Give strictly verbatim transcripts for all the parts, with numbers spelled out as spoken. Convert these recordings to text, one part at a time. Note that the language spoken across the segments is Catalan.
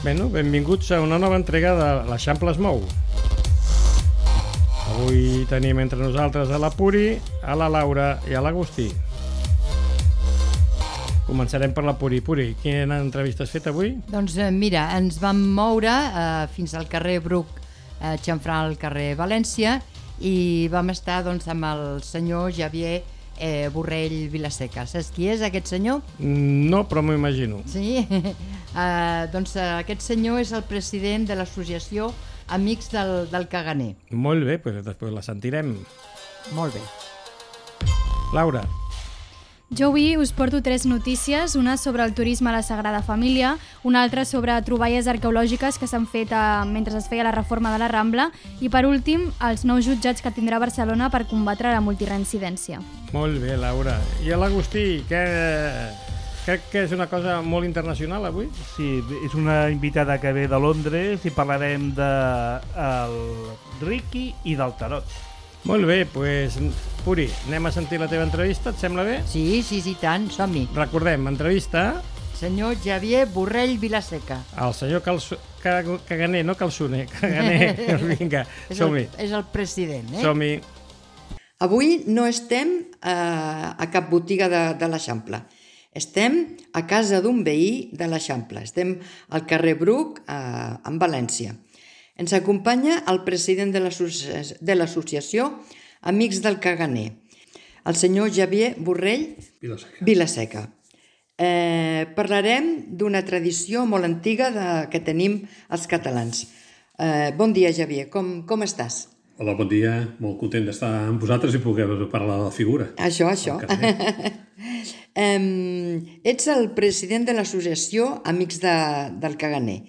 Bueno, benvinguts a una nova entrega de l'Eixample es mou. Avui tenim entre nosaltres a la Puri, a la Laura i a l'Agustí. Començarem per la Puri. Puri, quina entrevista has fet avui? Doncs eh, mira, ens vam moure eh, fins al carrer Bruc, eh, xamfrant al carrer València, i vam estar doncs, amb el senyor Xavier eh, Borrell Vilaseca. Saps qui és aquest senyor? No, però m'ho imagino. Sí? eh, doncs eh, aquest senyor és el president de l'associació Amics del, del Caganer. Molt bé, doncs després la sentirem. Molt bé. Laura. Jo avui us porto tres notícies, una sobre el turisme a la Sagrada Família, una altra sobre troballes arqueològiques que s'han fet eh, mentre es feia la reforma de la Rambla i, per últim, els nous jutjats que tindrà Barcelona per combatre la multireincidència. Molt bé, Laura. I a l'Agustí, que crec que és una cosa molt internacional avui? Sí, és una invitada que ve de Londres i parlarem de el Ricky i del tarot. Molt bé, doncs, Puri, anem a sentir la teva entrevista, et sembla bé? Sí, sí, sí, tant, som-hi. Recordem, entrevista Senyor Xavier Borrell Vilaseca. al senyor Calço... Caganer, no Calçoner, Caganer. Vinga, som-hi. És el president, eh? Som-hi. Avui no estem eh, a cap botiga de, de l'Eixample. Estem a casa d'un veí de l'Eixample. Estem al carrer Bruc, eh, en València. Ens acompanya el president de l'associació Amics del Caganer, el senyor Xavier Borrell Vilaseca. Vilaseca. Eh, parlarem d'una tradició molt antiga de, que tenim els catalans. Eh, bon dia, Xavier, com, com estàs? Hola, bon dia. Molt content d'estar amb vosaltres i poder parlar de la figura. Això, això. eh, ets el president de l'associació Amics de, del Caganer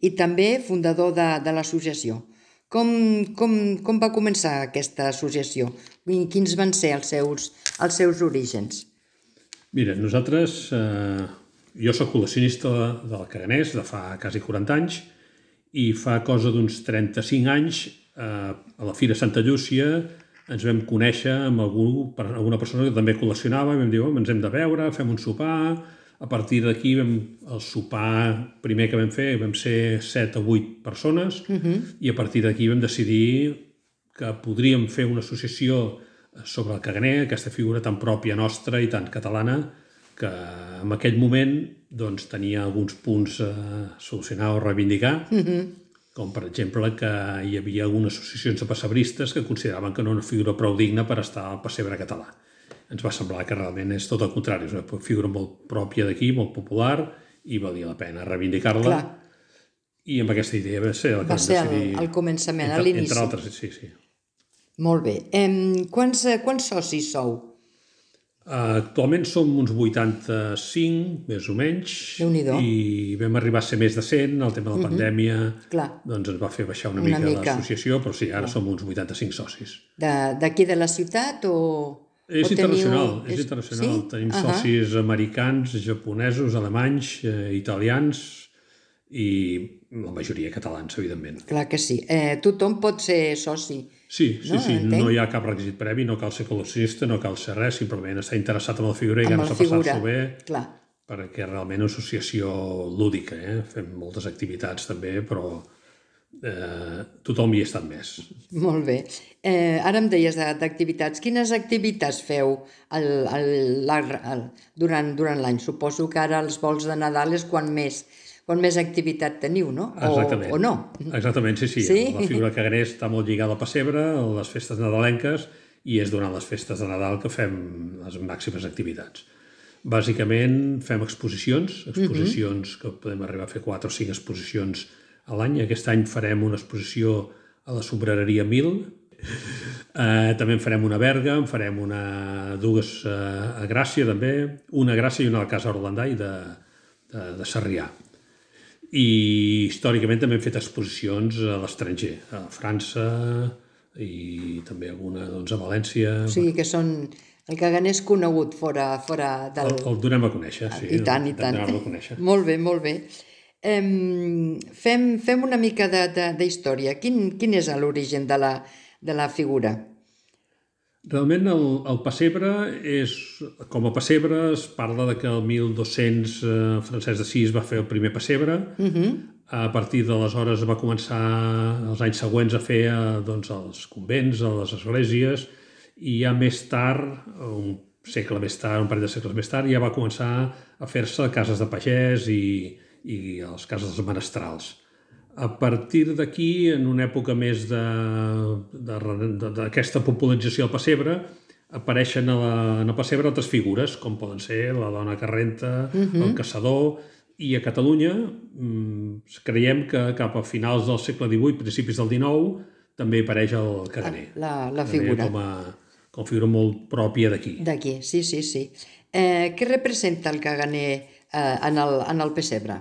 i també fundador de, de l'associació. Com, com, com va començar aquesta associació? Quins van ser els seus, els seus orígens? Mira, nosaltres... Eh, jo soc col·leccionista del Caganers de fa quasi quaranta anys i fa cosa d'uns trenta-cinc anys eh, a la Fira Santa Llúcia ens vam conèixer amb algú, alguna persona que també col·leccionava i vam dir, oh, ens hem de veure, fem un sopar. A partir d'aquí, el sopar primer que vam fer, vam ser set o vuit persones, uh-huh. i a partir d'aquí vam decidir que podríem fer una associació sobre el Caganer, aquesta figura tan pròpia nostra i tan catalana, que en aquell moment doncs, tenia alguns punts a solucionar o reivindicar, uh-huh. com per exemple que hi havia algunes associacions de pessebristes que consideraven que no era una figura prou digna per estar al pessebre català. Ens va semblar que realment és tot el contrari, és una figura molt pròpia d'aquí, molt popular, i valia la pena reivindicar-la. Clar. I amb aquesta idea va ser el que va ser el, decidir... el començament, entre, a l'inici. Entre altres, sí, sí. Molt bé. Eh, quants, quants socis sou? Uh, actualment som uns vuitanta-cinc, més o menys, Déu-n'hi-do. I vam arribar a ser més de cent, el tema de la uh-huh. pandèmia Clar. doncs ens va fer baixar una, una mica, mica l'associació, però sí, ara Clar. som uns vuitanta-cinc socis. D'aquí de, de la ciutat o... És o internacional, teniu... és internacional. Sí? Tenim uh-huh. socis americans, japonesos, alemanys, eh, italians i la majoria catalans, evidentment. Clar que sí. Eh, tothom pot ser soci. Sí, sí, no? sí. Entenc? No hi ha cap requisit previ, no cal ser col·leccionista, no cal ser res, simplement estar interessat en la figura i ganes de passar-s'ho bé. Clar. Perquè realment és una associació lúdica, eh? Fem moltes activitats també, però eh, tothom hi ha estat més. Molt bé. Eh, ara em deies d'activitats. Quines activitats feu el, el, el, el, durant, durant l'any? Suposo que ara els vols de Nadal és quan més, quan més activitat teniu, no? O, Exactament. o no? Exactament, sí, sí. sí? La figura Caganer està molt lligada al pessebre, a les festes nadalenques, i és durant les festes de Nadal que fem les màximes activitats. Bàsicament fem exposicions, exposicions uh-huh. que podem arribar a fer quatre o cinc exposicions a l'any. Aquest any farem una exposició a la Sombrereria Mil. Eh, també en farem una a Berga, en farem una, dues eh, a Gràcia també, una a Gràcia i una a la Casa Orlandai de, de, de Sarrià. I històricament també hem fet exposicions a l'estranger, a França i també alguna doncs, a València. O sigui que són... El Caganer és conegut fora, fora del... El, el donem a conèixer, sí. I tant, i tant. El donem a conèixer. Molt bé, molt bé. Um, fem, fem una mica de, de, de història. Quin, quin és l'origen de, la, de la figura? Realment el, el pessebre és, com a pessebre es parla de que el mil dos-cents eh, Francesc d'Assís va fer el primer pessebre. Uh-huh. A partir d'aleshores va començar els anys següents a fer doncs, els convents, a les esglésies, i ja més tard, un segle més tard, un parell de segles més tard, ja va començar a fer-se cases de pagès i, i les cases dels menestrals. A partir d'aquí, en una època més d'aquesta popularització del pessebre, apareixen a la, en el pessebre altres figures, com poden ser la dona que renta, uh-huh. el caçador, i a Catalunya mmm, creiem que cap a finals del segle divuit, principis del dinou, també apareix el caganer. La, la figura. Com a, com a figura molt pròpia d'aquí. D'aquí, sí, sí, sí. Eh, què representa el caganer eh, en, el, en el pessebre?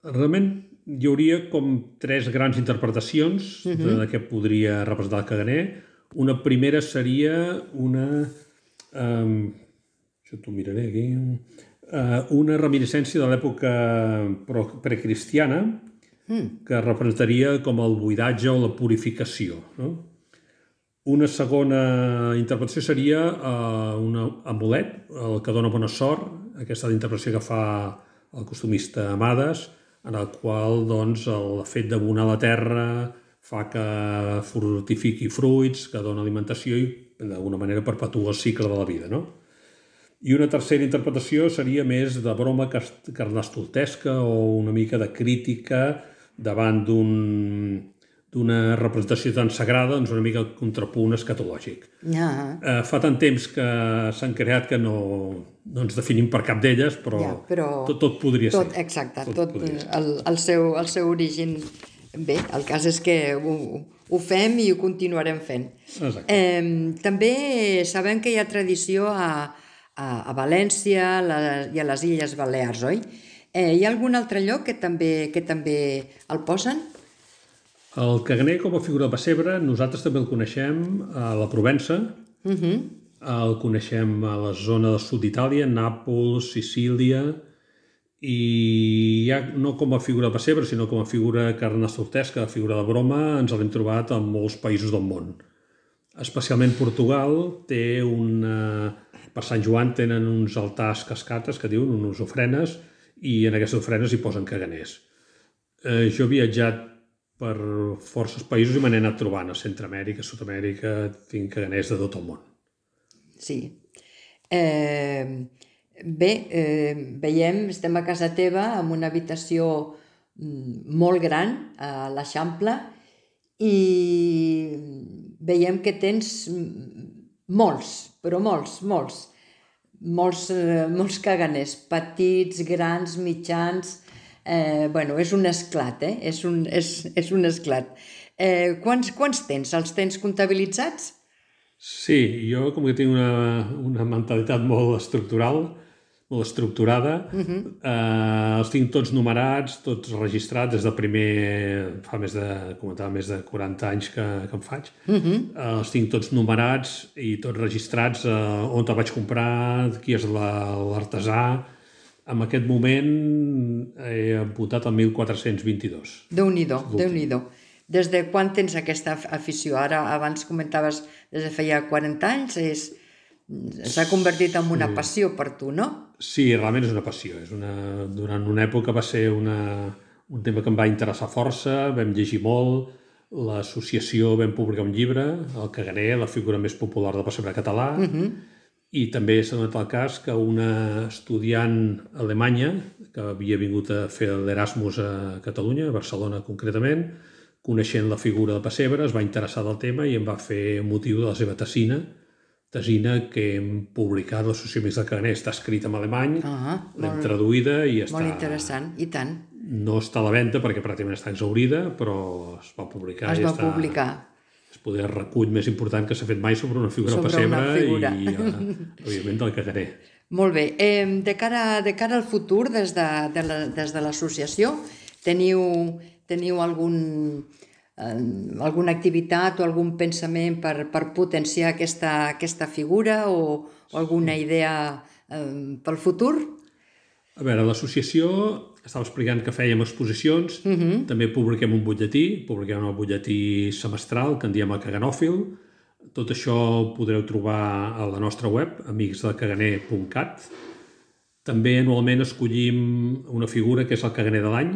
Realment hi hauria com tres grans interpretacions uh-huh. de què podria representar el caganer. Una primera seria una... Um, això t'ho miraré aquí... Uh, una reminiscència de l'època precristiana mm. que representaria com el buidatge o la purificació. No? Una segona interpretació seria uh, un amulet, el que dona bona sort, aquesta interpretació que fa el costumista Amades, en el qual doncs, el fet d'abonar la terra fa que fortifiqui fruits, que dona alimentació i d'alguna manera perpetua el cicle de la vida. No? I una tercera interpretació seria més de broma carnestoltesca o una mica de crítica davant d'un, d'una representació tan sagrada, doncs una mica el contrapunt escatològic. Ja. Eh, fa tant temps que s'han creat que no, no ens definim per cap d'elles, però, ja, però tot, tot podria tot, ser. Exacte, tot, tot el, el, seu, el seu origen... Bé, el cas és que ho, ho fem i ho continuarem fent. Eh, també sabem que hi ha tradició a a València la, i a les Illes Balears, oi? Eh, hi ha algun altre lloc que també, que també el posen? El caganer com a figura de pessebre, nosaltres també el coneixem a la Provença, uh-huh. el coneixem a la zona del sud d'Itàlia, Nàpols, Sicília, i ja no com a figura de pessebre, sinó com a figura carnestoltesca, figura de broma, ens l'hem trobat en molts països del món. Especialment Portugal té una... Per Sant Joan tenen uns altars cascates que diuen, unes ofrenes, i en aquestes ofrenes hi posen caganers. Eh, jo he viatjat per forces països i me n'he anat trobant a Centroamèrica, Sud-amèrica, tinc caganers de tot el món. Sí. Eh, bé, eh, veiem, estem a casa teva amb una habitació molt gran a l'Eixample i veiem que tens molts, però molts, molts, molts, eh, molts caganers, petits, grans, mitjans, eh, bueno, és un esclat, eh? És un, és, és un esclat. Eh, quants, quants tens? Els tens comptabilitzats? Sí, jo com que tinc una, una mentalitat molt estructural, molt estructurada, uh-huh. eh, els tinc tots numerats, tots registrats, des de primer, fa més de, comentava, més de quaranta anys que, que en faig. Uh-huh. eh, els tinc tots numerats i tots registrats, eh, on te vaig comprar, qui és la, l'artesà. En aquest moment he apuntat el mil quatre-cents vint-i-dos. Déu-n'hi-do, Déu-n'hi-do. Des de quan tens aquesta afició? Ara, abans comentaves, des de feia quaranta anys, és... s'ha convertit en una passió per tu, no? Sí, realment és una passió. És una... Durant una època va ser una... un tema que em va interessar força, vam llegir molt, l'associació vam publicar un llibre, el caganer, la figura més popular del pessebre català, uh-huh. i també s'ha donat el cas que una estudiant alemanya, que havia vingut a fer l'Erasmus a Catalunya, a Barcelona concretament, coneixent la figura del pessebre, es va interessar del tema i em va fer motiu de la seva tesina, tesina que hem publicat a l'Associació Amics del Caganer. Està escrita en alemany, uh-huh, l'hem molt, traduïda i està... Molt interessant, i tant. No està a la venda perquè pràcticament està exhaurida, però es va publicar. Es i va està... publicar. És poder el recull més important que s'ha fet mai sobre una figura sobre pessebre una figura. i, uh, òbviament, del caganer. Molt bé. Eh, de, cara, de cara al futur, des de, de la, des de l'associació, teniu, teniu algun... alguna activitat o algun pensament per, per potenciar aquesta, aquesta figura o, o alguna idea eh, pel futur? A veure, l'associació estava explicant que fèiem exposicions, uh-huh. també publiquem un butlletí, publiquem un butlletí semestral que en diem el Caganòfil. Tot això ho podreu trobar a la nostra web, amics del caganer punt cat. També anualment escollim una figura que és el caganer de l'any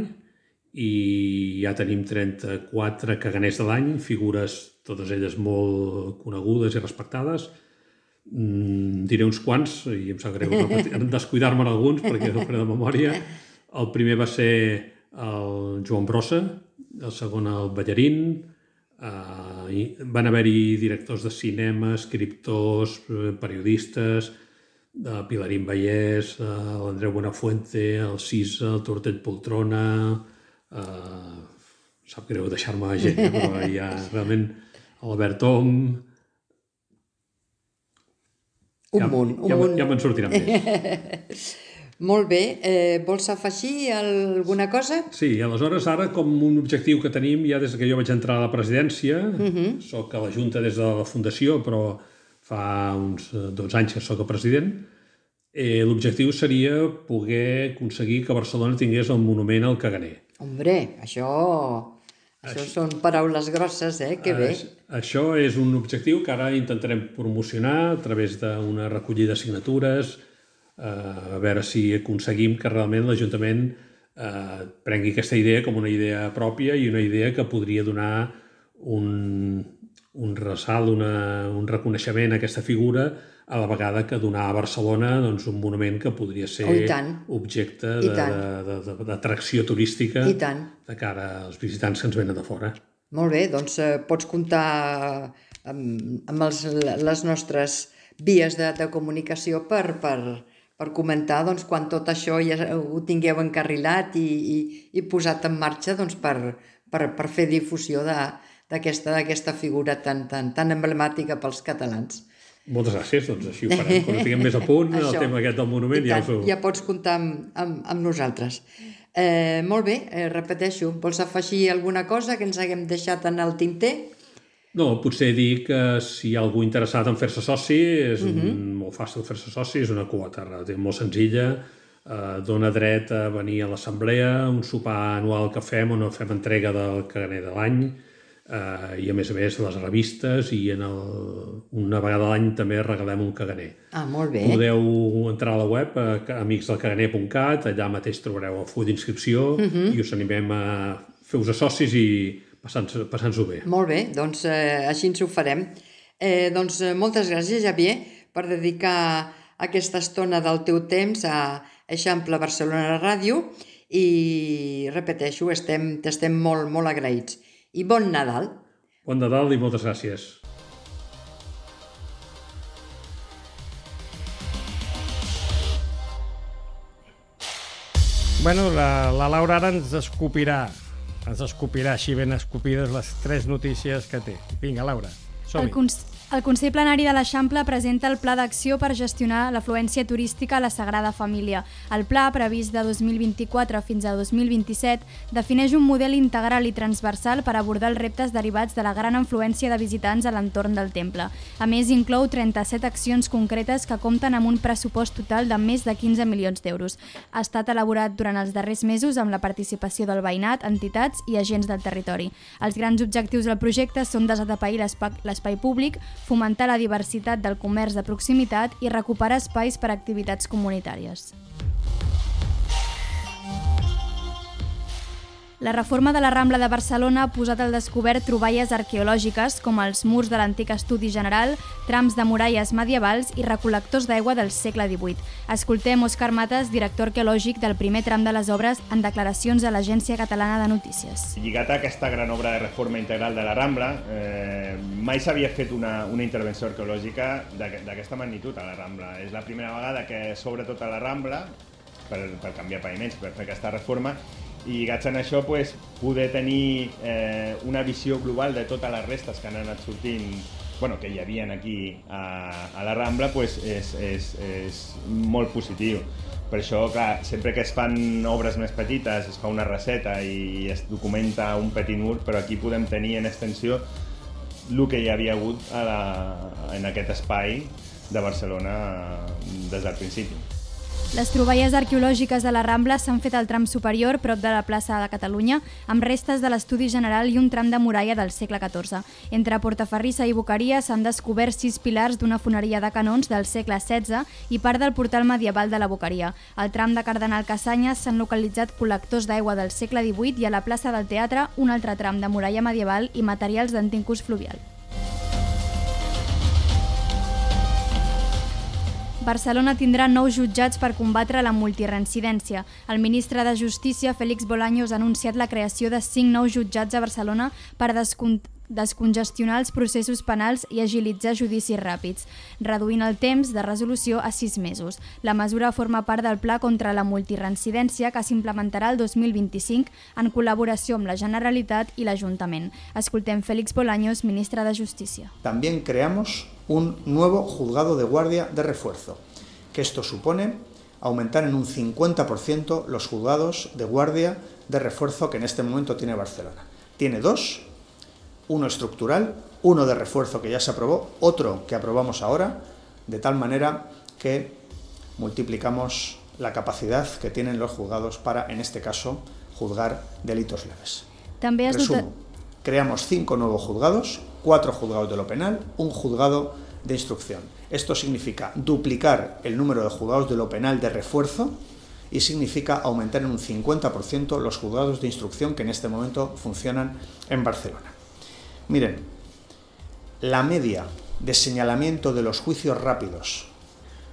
i ja tenim trenta-quatre caganers de l'any, figures totes elles molt conegudes i respectades. Mm, diré uns quants, i em sap greu descuidar-me en alguns perquè no faré de memòria. El primer va ser el Joan Brossa, el segon el Ballarín, uh, van haver-hi directors de cinema, escriptors, periodistes, uh, Pilarín Vallès, uh, l'Andreu Buenafuente, el Cisa, el Tortell Poltrona, uh, sap greu deixar-me gent, eh? Però hi ha realment l'Albert Om... Un ja, munt, un ja, munt. Ja me'n sortiran més. Molt bé. Eh, vols afegir alguna cosa? Sí, aleshores ara com un objectiu que tenim ja des que jo vaig entrar a la presidència, uh-huh. soc a la Junta des de la Fundació, però fa uns dotze anys que soc el president, eh, l'objectiu seria poder aconseguir que Barcelona tingués el monument al caganer. Hombre, això... Això són paraules grosses, eh? Que bé. Això és un objectiu que ara intentarem promocionar a través d'una recollida de signatures, a veure si aconseguim que realment l'Ajuntament eh, prengui aquesta idea com una idea pròpia i una idea que podria donar un, un ressalt, una, un reconeixement a aquesta figura, a la vegada que donar a Barcelona doncs, un monument que podria ser oh, objecte d'atracció turística de cara als visitants que ens venen de fora. Molt bé, doncs eh, pots comptar amb, amb els, les nostres vies de, de comunicació per, per, per comentar doncs, quan tot això ja ho tingueu encarrilat i, i, i posat en marxa doncs, per, per, per fer difusió d'aquesta d'aquesta figura tan, tan, tan emblemàtica pels catalans. Moltes gràcies, doncs així ho farem. Quan ho tinguem més a punt, el tema aquest del monument ja us ho... Ja pots comptar amb, amb, amb nosaltres. Eh, molt bé, eh, repeteixo, vols afegir alguna cosa que ens haguem deixat en el tinter? No, potser dir que si hi ha algú interessat en fer-se soci, és uh-huh. molt fàcil fer-se soci, és una quota molt senzilla, eh, dona dret a venir a l'assemblea, un sopar anual que fem on fem entrega del caganer de l'any, Uh, i a més a més les revistes i en el, una vegada a l'any també regalem un caganer. Ah, molt bé. Podeu entrar a la web a amics del caganer punt cat, allà mateix trobareu el full d'inscripció uh-huh. i us animem a fer-vos a socis i passar-nos-ho passar bé. Molt bé, doncs eh, així ens ho farem. Eh, doncs moltes gràcies, Javier, per dedicar aquesta estona del teu temps a Eixample Barcelona Ràdio i repeteixo, estem, t'estem molt, molt agraïts. I bon Nadal. Bon Nadal i moltes gràcies. Bueno, la, la Laura ara ens escopirà, ens escopirà així ben escopides les tres notícies que té. Vinga, Laura, som-hi. El, cons el Consell Plenari de l'Eixample presenta el Pla d'Acció per gestionar l'afluència turística a la Sagrada Família. El pla, previst de dos mil vint-i-quatre fins a dos mil vint-i-set, defineix un model integral i transversal per abordar els reptes derivats de la gran afluència de visitants a l'entorn del temple. A més, inclou trenta-set accions concretes que compten amb un pressupost total de més de quinze milions d'euros. Ha estat elaborat durant els darrers mesos amb la participació del veïnat, entitats i agents del territori. Els grans objectius del projecte són desatapeir l'espai públic, fomentar la diversitat del comerç de proximitat i recuperar espais per a activitats comunitàries. La reforma de la Rambla de Barcelona ha posat al descobert troballes arqueològiques com els murs de l'antic Estudi General, trams de muralles medievals i recol·lectors d'aigua del segle divuit. Escoltem Òscar Mates, director arqueològic del primer tram de les obres, en declaracions a l'Agència Catalana de Notícies. Lligat a aquesta gran obra de reforma integral de la Rambla, eh, mai s'havia fet una, una intervenció arqueològica d'aquesta magnitud a la Rambla. És la primera vegada que s'obre tota la Rambla per, per canviar paviments, per fer aquesta reforma, i lligats en això, pues, poder tenir eh, una visió global de totes les restes que han anat sortint, bueno, que hi havia aquí a, a la Rambla, pues, és, és, és molt positiu. Per això, clar, sempre que es fan obres més petites, es fa una receta i es documenta un petit mur, però aquí podem tenir en extensió el que hi havia hagut a la, en aquest espai de Barcelona des del principi. Les troballes arqueològiques de la Rambla s'han fet al tram superior, prop de la plaça de Catalunya, amb restes de l'estudi general i un tram de muralla del segle catorze. Entre Portaferrissa i Boqueria s'han descobert sis pilars d'una foneria de canons del segle setze i part del portal medieval de la Boqueria. Al tram de Cardenal Cassanyes s'han localitzat col·lectors d'aigua del segle divuit i a la plaça del Teatre un altre tram de muralla medieval i materials d'antic ús fluvial. Barcelona tindrà nous jutjats per combatre la multireincidència. El ministre de Justícia, Félix Bolaños, ha anunciat la creació de cinc nous jutjats a Barcelona per descon descongestionar els processos penals i agilitzar judicis ràpids, reduint el temps de resolució a sis mesos. La mesura forma part del Pla contra la multireincidència que s'implementarà el dos mil vint-i-cinc en col·laboració amb la Generalitat i l'Ajuntament. Escoltem Félix Bolaños, ministre de Justícia. También creamos un nuevo juzgado de guardia de refuerzo, que esto supone aumentar en un cincuenta por ciento los juzgados de guardia de refuerzo que en este momento tiene Barcelona. Tiene dos, uno estructural, uno de refuerzo que ya se aprobó, otro que aprobamos ahora, de tal manera que multiplicamos la capacidad que tienen los juzgados para, en este caso, juzgar delitos leves. També has Resumo, creamos cinco nuevos juzgados, cuatro juzgados de lo penal, un juzgado de instrucción. Esto significa duplicar el número de juzgados de lo penal de refuerzo y significa aumentar en un cincuenta por ciento los juzgados de instrucción que en este momento funcionan en Barcelona. Miren, la media de señalamiento de los juicios rápidos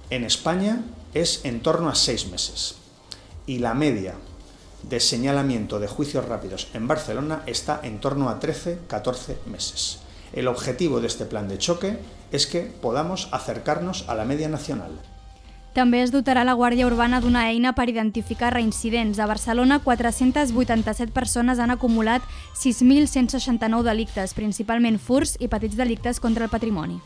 en España es en torno a seis meses y la media de señalamiento de juicios rápidos en Barcelona está en torno a trece a catorce meses. El objetivo de este plan de choque es que podamos acercarnos a la media nacional. També es dotarà la Guàrdia Urbana d'una eina per identificar reincidents. A Barcelona, quatre-centes vuitanta-set persones han acumulat sis mil cent seixanta-nou delictes, principalment furts i petits delictes contra el patrimoni.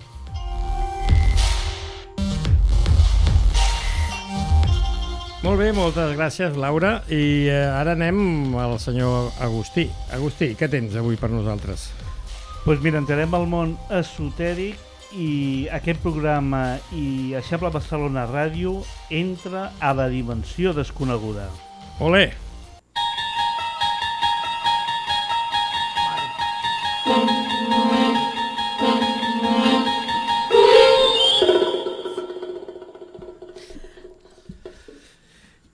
Molt bé, moltes gràcies, Laura. I eh, ara anem al senyor Agustí. Agustí, què tens avui per nosaltres? Doncs pues mira, entrarem al món esotèric i aquest programa i Eixample Barcelona Ràdio entra a la dimensió desconeguda. Olé!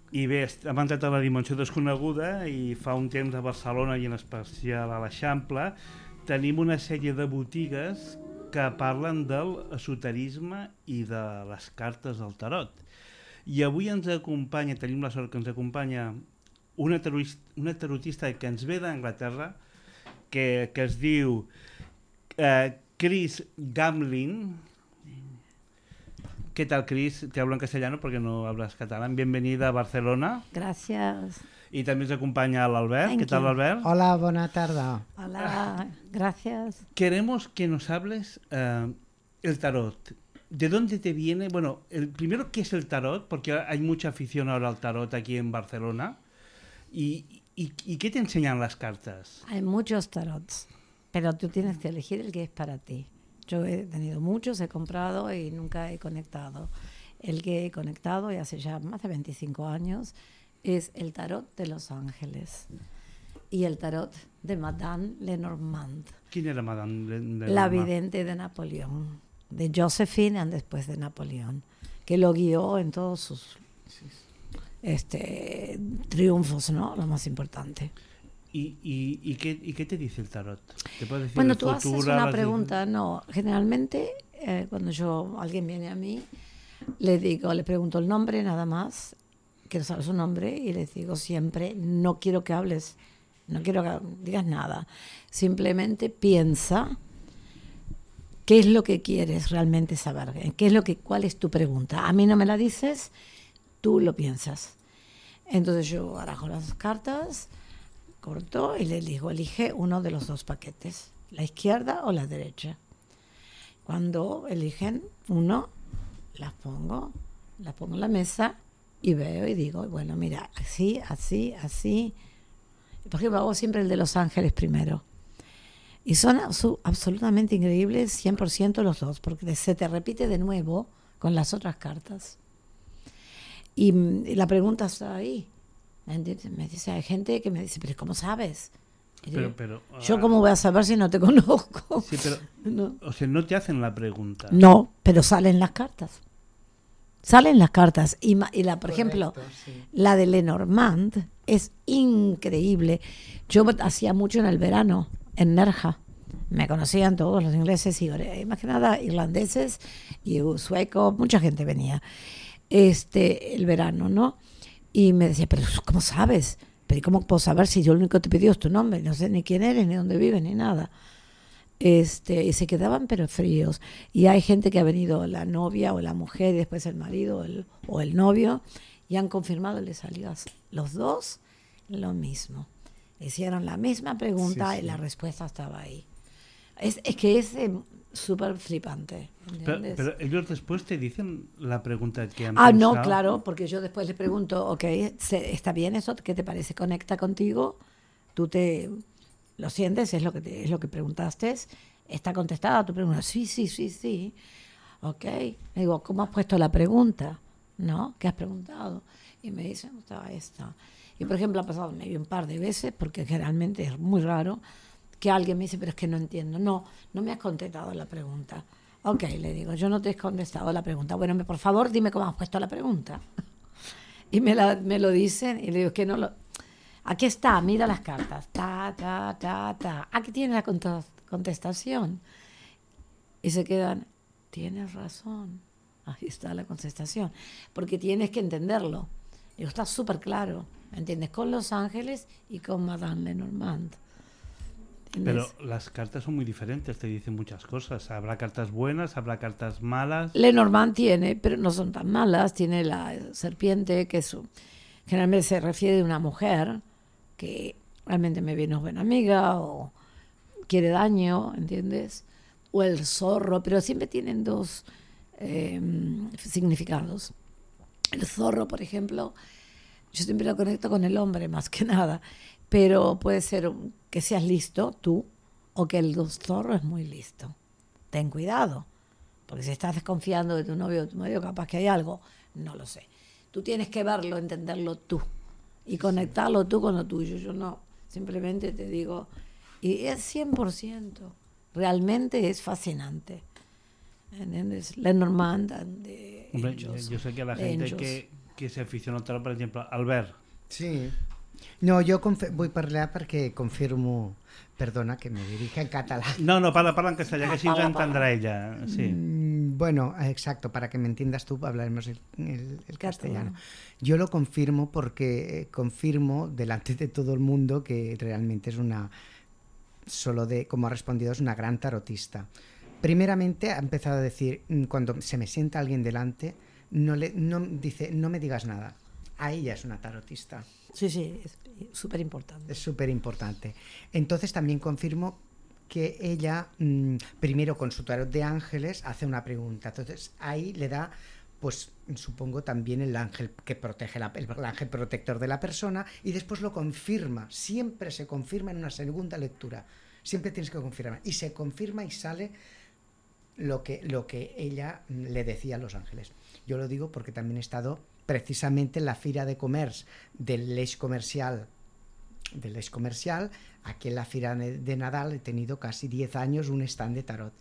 I bé, hem entrat a la dimensió desconeguda i fa un temps a Barcelona i en especial a l'Eixample tenim una sèrie de botigues que parlen del esoterisme i de les cartes del tarot. I avui ens acompanya, tenim la sort que ens acompanya una, tarotista, una tarotista que ens ve d'Anglaterra, que, que es diu eh, Chris Gamlin. ¿Qué tal, Chris? Te hablo en castellano porque no hablas catalán. Bienvenida a Barcelona. Gracias. Y también se acompaña al Albert. ¿Qué tal, Albert? Hola, buena tarde. Hola, gracias. Queremos que nos hables uh, el tarot. ¿De dónde te viene? Bueno, el, primero, ¿qué es el tarot? Porque hay mucha afición ahora al tarot aquí en Barcelona. ¿Y, y, y qué te enseñan las cartas? Hay muchos tarots, pero tú tienes que elegir el que es para ti. Yo he tenido muchos, he comprado y nunca he conectado. El que he conectado, y hace ya más de veinticinco años, es el tarot de Los Ángeles y el tarot de Madame Lenormand. ¿Quién era Madame Lenormand? La vidente de Napoleón, de Josephine y después de Napoleón, que lo guió en todos sus este, triunfos, ¿no? Lo más importante. ¿Y, y, y, qué, ¿Y qué te dice el tarot? ¿Te puede decir Bueno, el tú futuro, haces una las... pregunta, no, generalmente eh, cuando yo alguien viene a mí, le digo, le pregunto el nombre nada más, quiero saber su nombre y les digo siempre, no quiero que hables, no quiero que digas nada, simplemente piensa qué es lo que quieres realmente saber, qué es lo que, cuál es tu pregunta. A mí no me la dices, tú lo piensas. Entonces yo barajo las cartas, corto y le digo, elige uno de los dos paquetes, la izquierda o la derecha. Cuando eligen uno, las pongo, las pongo en la mesa y veo y digo, bueno, mira, así, así, así. Por ejemplo, hago siempre el de Los Ángeles primero. Y son absolutamente increíbles, cien por ciento los dos, porque se te repite de nuevo con las otras cartas. y, y la pregunta está ahí. ¿Me entiendes? Me dice, hay gente que me dice, pero ¿cómo sabes? Y Pero, digo, pero, yo ah, cómo voy a saber si no te conozco. Sí, pero, No. o sea, no te hacen la pregunta. No, pero salen las cartas. Salen las cartas. Y, ma- y la, por ejemplo, la de Lenormand es increíble. Yo hacía mucho en el verano, en Nerja. Me conocían todos los ingleses y eh, más que nada irlandeses y suecos, mucha gente venía. Este, el verano, ¿no? Y me decía, pero ¿cómo sabes? Pero ¿cómo puedo saber si yo lo único que te pidió es tu nombre? No sé ni quién eres, ni dónde vives, ni nada. Este, y se quedaban pero fríos. Y hay gente que ha venido, la novia o la mujer, y después el marido o el, o el novio, y han confirmado, les salió a los dos lo mismo. Hicieron la misma pregunta Sí, sí. y la respuesta estaba ahí. Es, es que es eh, súper flipante. Pero, ¿entiendes? pero ellos después te dicen la pregunta que han Ah, pensado. no, claro, porque yo después le pregunto, ok, se- ¿está bien eso? ¿Qué te parece? ¿Conecta contigo? ¿Tú te lo sientes? ¿Es lo que, te- es lo que preguntaste? ¿Está contestada tu pregunta? Sí, sí, sí, sí. Ok. Le digo, ¿cómo has puesto la pregunta? ¿No? ¿Qué has preguntado? Y me dicen, estaba esta. Y, por ejemplo, ha pasado maybe un par de veces, porque generalmente es muy raro, que alguien me dice, pero es que no entiendo. No, no me has contestado la pregunta. Ok, le digo, yo no te he contestado la pregunta. Bueno, me- por favor, dime cómo has puesto la pregunta. Y me, la, me lo dicen y le digo, que no lo... Aquí está, mira las cartas. Ta, ta, ta, ta. Aquí tiene la cont- contestación. Y se quedan, tienes razón. Ahí está la contestación. Porque tienes que entenderlo. Digo, está súper claro. ¿Me entiendes? Con Los Ángeles y con Madame Lenormand. ¿Entiendes? Pero las cartas son muy diferentes, te dicen muchas cosas. Habrá cartas buenas, habrá cartas malas. Lenormand tiene, pero no son tan malas. Tiene la serpiente, que es, un- generalmente se refiere a una mujer que realmente me viene buena amiga o quiere daño, ¿entiendes? O el zorro, pero siempre tienen dos eh, significados. El zorro, por ejemplo, yo siempre lo conecto con el hombre más que nada, pero puede ser un- que seas listo tú o que el zorro es muy listo. Ten cuidado, porque si estás desconfiando de tu novio o de tu marido, capaz que hay algo, no lo sé. Tú tienes que verlo, entenderlo tú y conectarlo tú con lo tuyo. Yo no, simplemente te digo, y es cien por ciento, realmente es fascinante. ¿Entiendes? Lenormand de Hombre, Angels. yo sé que la de gente Angels. que, que se aficiona al tarot, per exemple, Albert, Sí. No, jo confe- vull parlar perquè confirmo... Perdona, que me dirige en català. no, no, parla, parla en castellà, que així ens Parla, entendrà ella. Sí. Mm, Bueno, exacto, para que me entiendas tú, hablaremos el, el- el castellano. Yo lo confirmo porque eh, confirmo delante de todo el mundo que realmente es una, solo de, como ha respondido, es una gran tarotista. Primeramente ha empezado a decir, mm, cuando se me sienta alguien delante, no le, no, dice, no me digas nada. A ella es una tarotista. Sí, sí, es súper importante. Es súper importante. Entonces también confirmo que ella, mmm, primero con su tarot de ángeles, hace una pregunta. Entonces ahí le da, pues supongo también el ángel que protege, la, el, el ángel protector de la persona, y después lo confirma. Siempre se confirma en una segunda lectura. Siempre tienes que confirmar. Y se confirma y sale lo que, lo que ella le decía a los ángeles. Yo lo digo porque también he estado precisamente en la Fira de Comerç del l'Eix Comercial, del l'Eix Comercial, aquí en la Fira de Nadal he tenido casi diez años un stand de tarot.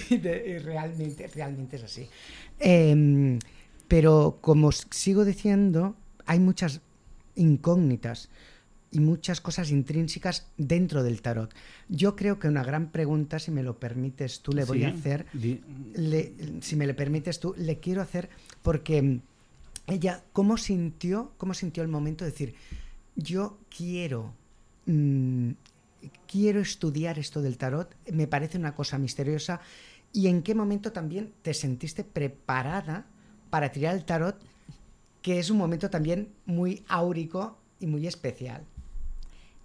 de, realmente, realmente es así. Eh, pero como sigo diciendo, hay muchas incógnitas y muchas cosas intrínsecas dentro del tarot. Yo creo que una gran pregunta, si me lo permites tú, le voy Sí, a hacer, di- le, si me le permites tú, le quiero hacer porque ella, ¿cómo sintió, cómo sintió el momento de decir, yo quiero, mmm, quiero estudiar esto del tarot, me parece una cosa misteriosa, y en qué momento también te sentiste preparada para tirar el tarot, que es un momento también muy áurico y muy especial?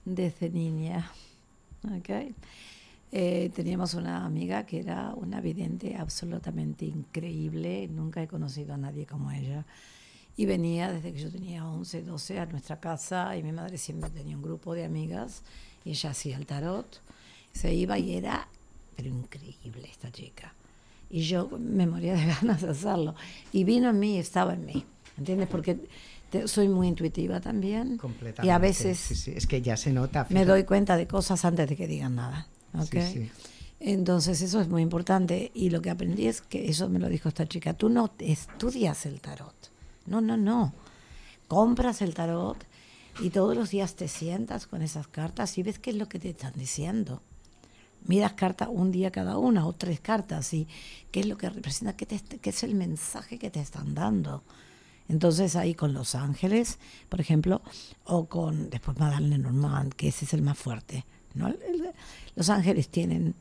Desde niña. Okay. Eh, teníamos una amiga que era una vidente absolutamente increíble. Nunca he conocido a nadie como ella. Y venía desde que yo tenía once, doce a nuestra casa, y mi madre siempre tenía un grupo de amigas y ella hacía el tarot. Se iba y era, pero increíble esta chica. Y yo me moría de ganas de hacerlo. Y vino en mí, estaba en mí. ¿entiendes? Porque te, soy muy intuitiva también. Completamente. Y a veces sí, sí. Es que ya se nota. me fíjate. doy cuenta de cosas antes de que digan nada. ¿Okay? Sí, sí. Entonces eso es muy importante. Y lo que aprendí es que, eso me lo dijo esta chica, tú no estudias el tarot. No, no, no. Compras el tarot y todos los días te sientas con esas cartas y ves qué es lo que te están diciendo. Miras cartas un día cada una o tres cartas y qué es lo que representa, qué, te, qué es el mensaje que te están dando. Entonces ahí con los ángeles, por ejemplo, o con después Madame Lenormand, que ese es el más fuerte, ¿no? El, el, los ángeles tienen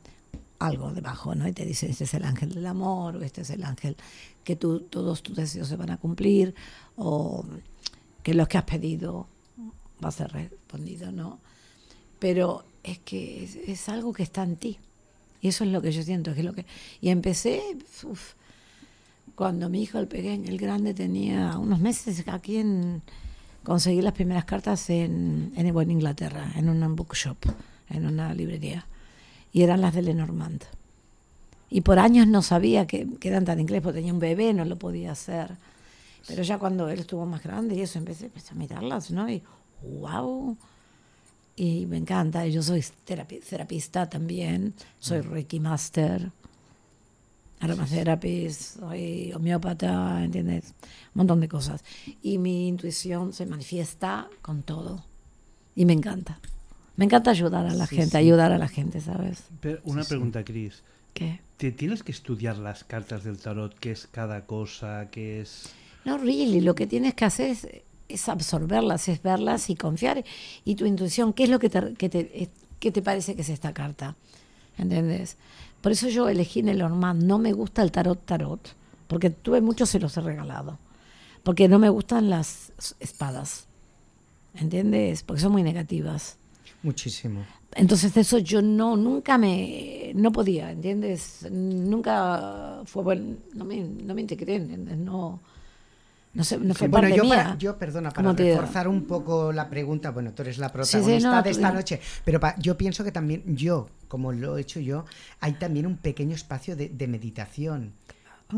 algo debajo, ¿no? Y te dicen, este es el ángel del amor, o este es el ángel que tú, todos tus deseos se van a cumplir, o que lo que has pedido va a ser respondido, ¿no? Pero es que es, es algo que está en ti. Y eso es lo que yo siento. Que es lo que... Y empecé, uf, cuando mi hijo, el pequeño, el grande, tenía unos meses aquí en... Conseguí las primeras cartas en, en, en Inglaterra, en una bookshop, en una librería. Y eran las de Lenormand. Y por años no sabía que, que eran tan inglés, porque tenía un bebé, no lo podía hacer. Pero ya cuando él estuvo más grande y eso, empecé, empecé a mirarlas, ¿no? Y wow... Y me encanta, yo soy terapi- terapista también, soy Reiki Master, aromaterapist, soy homeópata, ¿entiendes? Un montón de cosas. Y mi intuición se manifiesta con todo. Y me encanta. Me encanta ayudar a la Sí, gente, sí. ayudar a la gente, ¿sabes? Pero una Sí, pregunta, Cris. ¿Qué? ¿Te tienes que estudiar las cartas del tarot? ¿Qué es cada cosa? ¿Qué es...? No, really, lo que tienes que hacer es, es absorberlas, es verlas y confiar. Y tu intuición, ¿qué es lo que te, que te, que te parece que es esta carta? ¿Entendés? Por eso yo elegí Lenormand. No me gusta el tarot tarot, porque tuve muchos, se los he regalado. Porque no me gustan las espadas. ¿Entiendes? Porque son muy negativas. Muchísimo. Entonces de eso yo no, nunca me, no podía, ¿entiendes? Nunca fue bueno, no me, no me integré, ¿entiendes? No... No, sé, no fue Sí, bueno, parte yo, mía. para, yo, perdona, para ¿Cómo te digo? reforzar un poco la pregunta, bueno, tú eres la Sí, protagonista sí, no, de esta claro. noche, pero pa- yo pienso que también yo, como lo he hecho yo, hay también un pequeño espacio de, de meditación.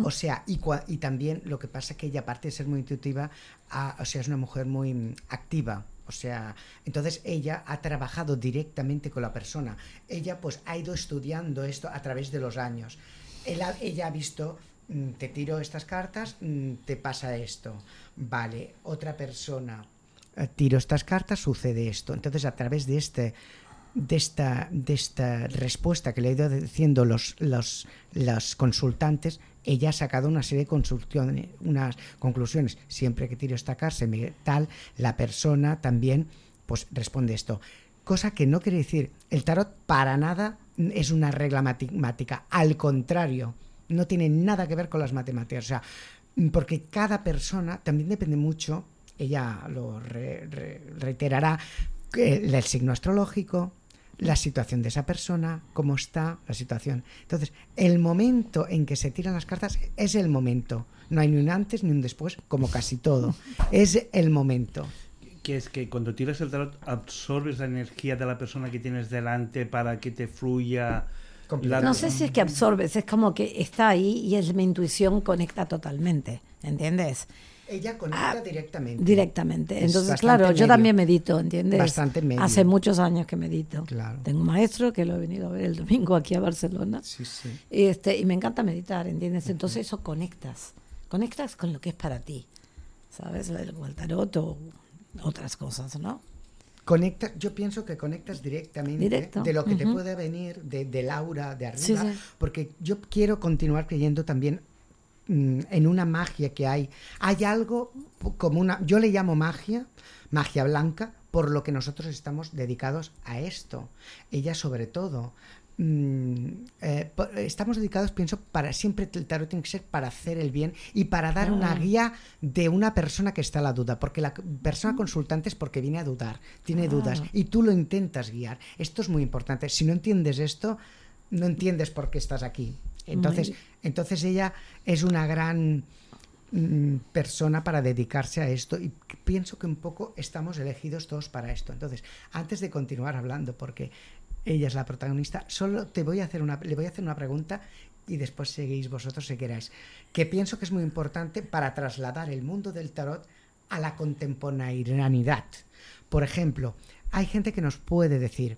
O sea, y, cua- y también lo que pasa es que ella, aparte de ser muy intuitiva, ah, o sea, es una mujer muy mm, activa. O sea, entonces ella ha trabajado directamente con la persona. Ella pues ha ido estudiando esto a través de los años. Él ha- ella ha visto, mm, te tiro estas cartas, mm, te pasa esto. Vale, otra persona, eh, tiro estas cartas, sucede esto. Entonces, a través de este de esta, de esta respuesta que le he ido diciendo los, los, los consultantes, ella ha sacado una serie de consulciones, unas conclusiones. Siempre que tiro esta carta, me- tal, la persona también pues responde esto. Cosa que no quiere decir, el tarot para nada es una regla matemática, al contrario, no tiene nada que ver con las matemáticas, o sea, porque cada persona también depende mucho, ella lo re- re- reiterará, que el signo astrológico, la situación de esa persona, cómo está la situación. Entonces, el momento en que se tiran las cartas es el momento. No hay ni un antes ni un después, como casi todo. Es el momento. Que es que cuando tiras el tarot absorbes la energía de la persona que tienes delante para que te fluya. La... No sé si es que absorbes, es como que está ahí y es mi intuición conecta totalmente, ¿entiendes? Ella conecta Ah, directamente. Directamente. Es Entonces, bastante claro, yo medio. también medito, ¿entiendes? Bastante medio. Hace muchos años que medito. Claro. Tengo un maestro que lo he venido a ver el domingo aquí a Barcelona. Sí, sí. Este, y me encanta meditar, ¿entiendes? Entonces eso conectas. Conectas con lo que es para ti, ¿sabes? El, el tarot o otras cosas, ¿no? Conecta, yo pienso que conectas directamente Directo. de lo que te Ujú. puede venir, de, del aura de arriba, Sí, sí. porque yo quiero continuar creyendo también mm, en una magia que hay. Hay algo como una, yo le llamo magia, magia blanca, por lo que nosotros estamos dedicados a esto. Ella sobre todo. mm, eh, po- estamos dedicados, pienso, para siempre el tarot tiene que ser para hacer el bien y para dar una guía de una persona que está a la duda, porque la persona consultante es porque viene a dudar, tiene Claro. dudas y tú lo intentas guiar. Esto es muy importante. Si no entiendes esto, no entiendes por qué estás aquí. Entonces, Muy bien. entonces ella es una gran mm, persona para dedicarse a esto y pienso que un poco estamos elegidos todos para esto. Entonces, antes de continuar hablando, porque ella es la protagonista, solo te voy a hacer una, le voy a hacer una pregunta y después seguís vosotros si queráis. Que pienso que es muy importante para trasladar el mundo del tarot a la contemporaneidad. Por ejemplo, hay gente que nos puede decir,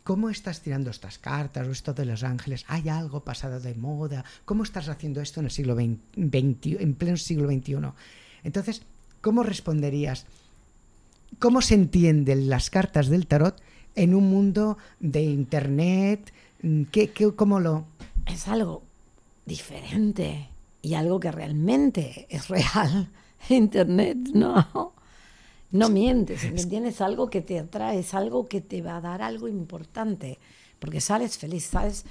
¿cómo estás tirando estas cartas o esto de los ángeles? ¿Hay algo pasado de moda? ¿Cómo estás haciendo esto en el siglo veinte, en pleno siglo veintiuno? Entonces, ¿cómo responderías? ¿Cómo se entienden las cartas del tarot en un mundo de internet? ¿Qué, qué, cómo lo...? Es algo diferente y algo que realmente es real. Internet no, no mientes, ¿me entiendes? Es algo que te atrae, es algo que te va a dar algo importante, porque sales feliz, sales...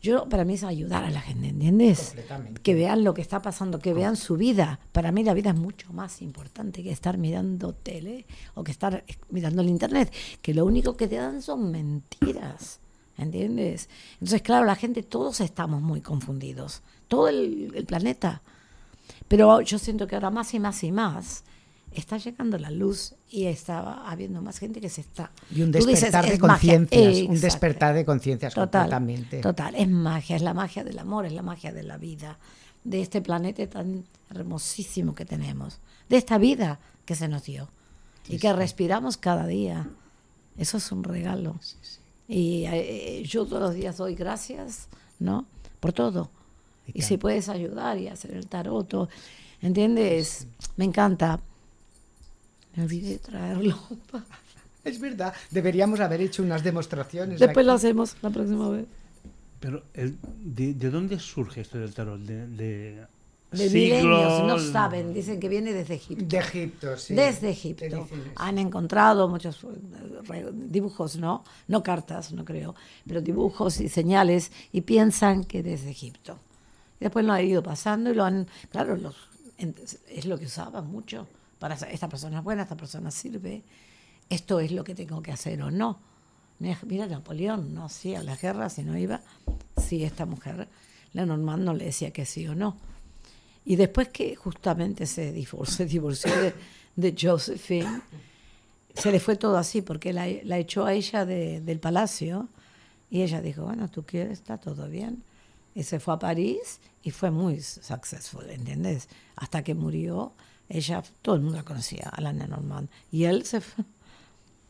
Yo, para mí es ayudar a la gente, ¿entiendes? Completamente. Que vean lo que está pasando, que vean su vida. Para mí la vida es mucho más importante que estar mirando tele o que estar mirando el internet, que lo único que te dan son mentiras, ¿entiendes? Entonces, claro, la gente, todos estamos muy confundidos, todo el, el planeta. Pero yo siento que ahora más y más y más está llegando la luz y está habiendo más gente que se está... Y un Tú despertar dices, de es magia. conciencias, un Exacto. despertar de conciencias Total, completamente. total, es magia, es la magia del amor, es la magia de la vida, de este planeta tan hermosísimo que tenemos, de esta vida que se nos dio Sí, y que sí. respiramos cada día. Eso es un regalo. Sí, sí. Y eh, yo todos los días doy gracias, ¿no? Por todo. Y Y si tal. puedes ayudar y hacer el tarot, o- ¿entiendes? Me encanta. Me olvidé de traerlo. Es verdad, deberíamos haber hecho unas demostraciones. Después aquí. lo hacemos la próxima vez. Pero, el, de, ¿de dónde surge esto del tarot? ¿De, de, De siglos? milenios, no saben, dicen que viene desde Egipto. De Egipto, sí. Desde Te Egipto. dicen eso. Han encontrado muchos eh, re- dibujos, ¿no? No cartas, no creo, pero dibujos y señales y piensan que desde Egipto. Y después lo han ido pasando y lo han, claro, los, en- es lo que usaban mucho. Para sa- esta persona es buena, esta persona sirve, esto es lo que tengo que hacer o no. Mira, mira Napoleón, no hacía las guerras y no iba. Sí, esta mujer, Lenormand, no le decía que sí o no. Y después que justamente se divorció, se divorció de, de Josephine, se le fue todo así, porque la, la echó a ella de, del palacio y ella dijo, bueno, tú quieres, está todo bien. Y se fue a París y fue muy successful, ¿entiendes? Hasta que murió, ella, todo el mundo la conocía, a la Lenormand. Y él se fue,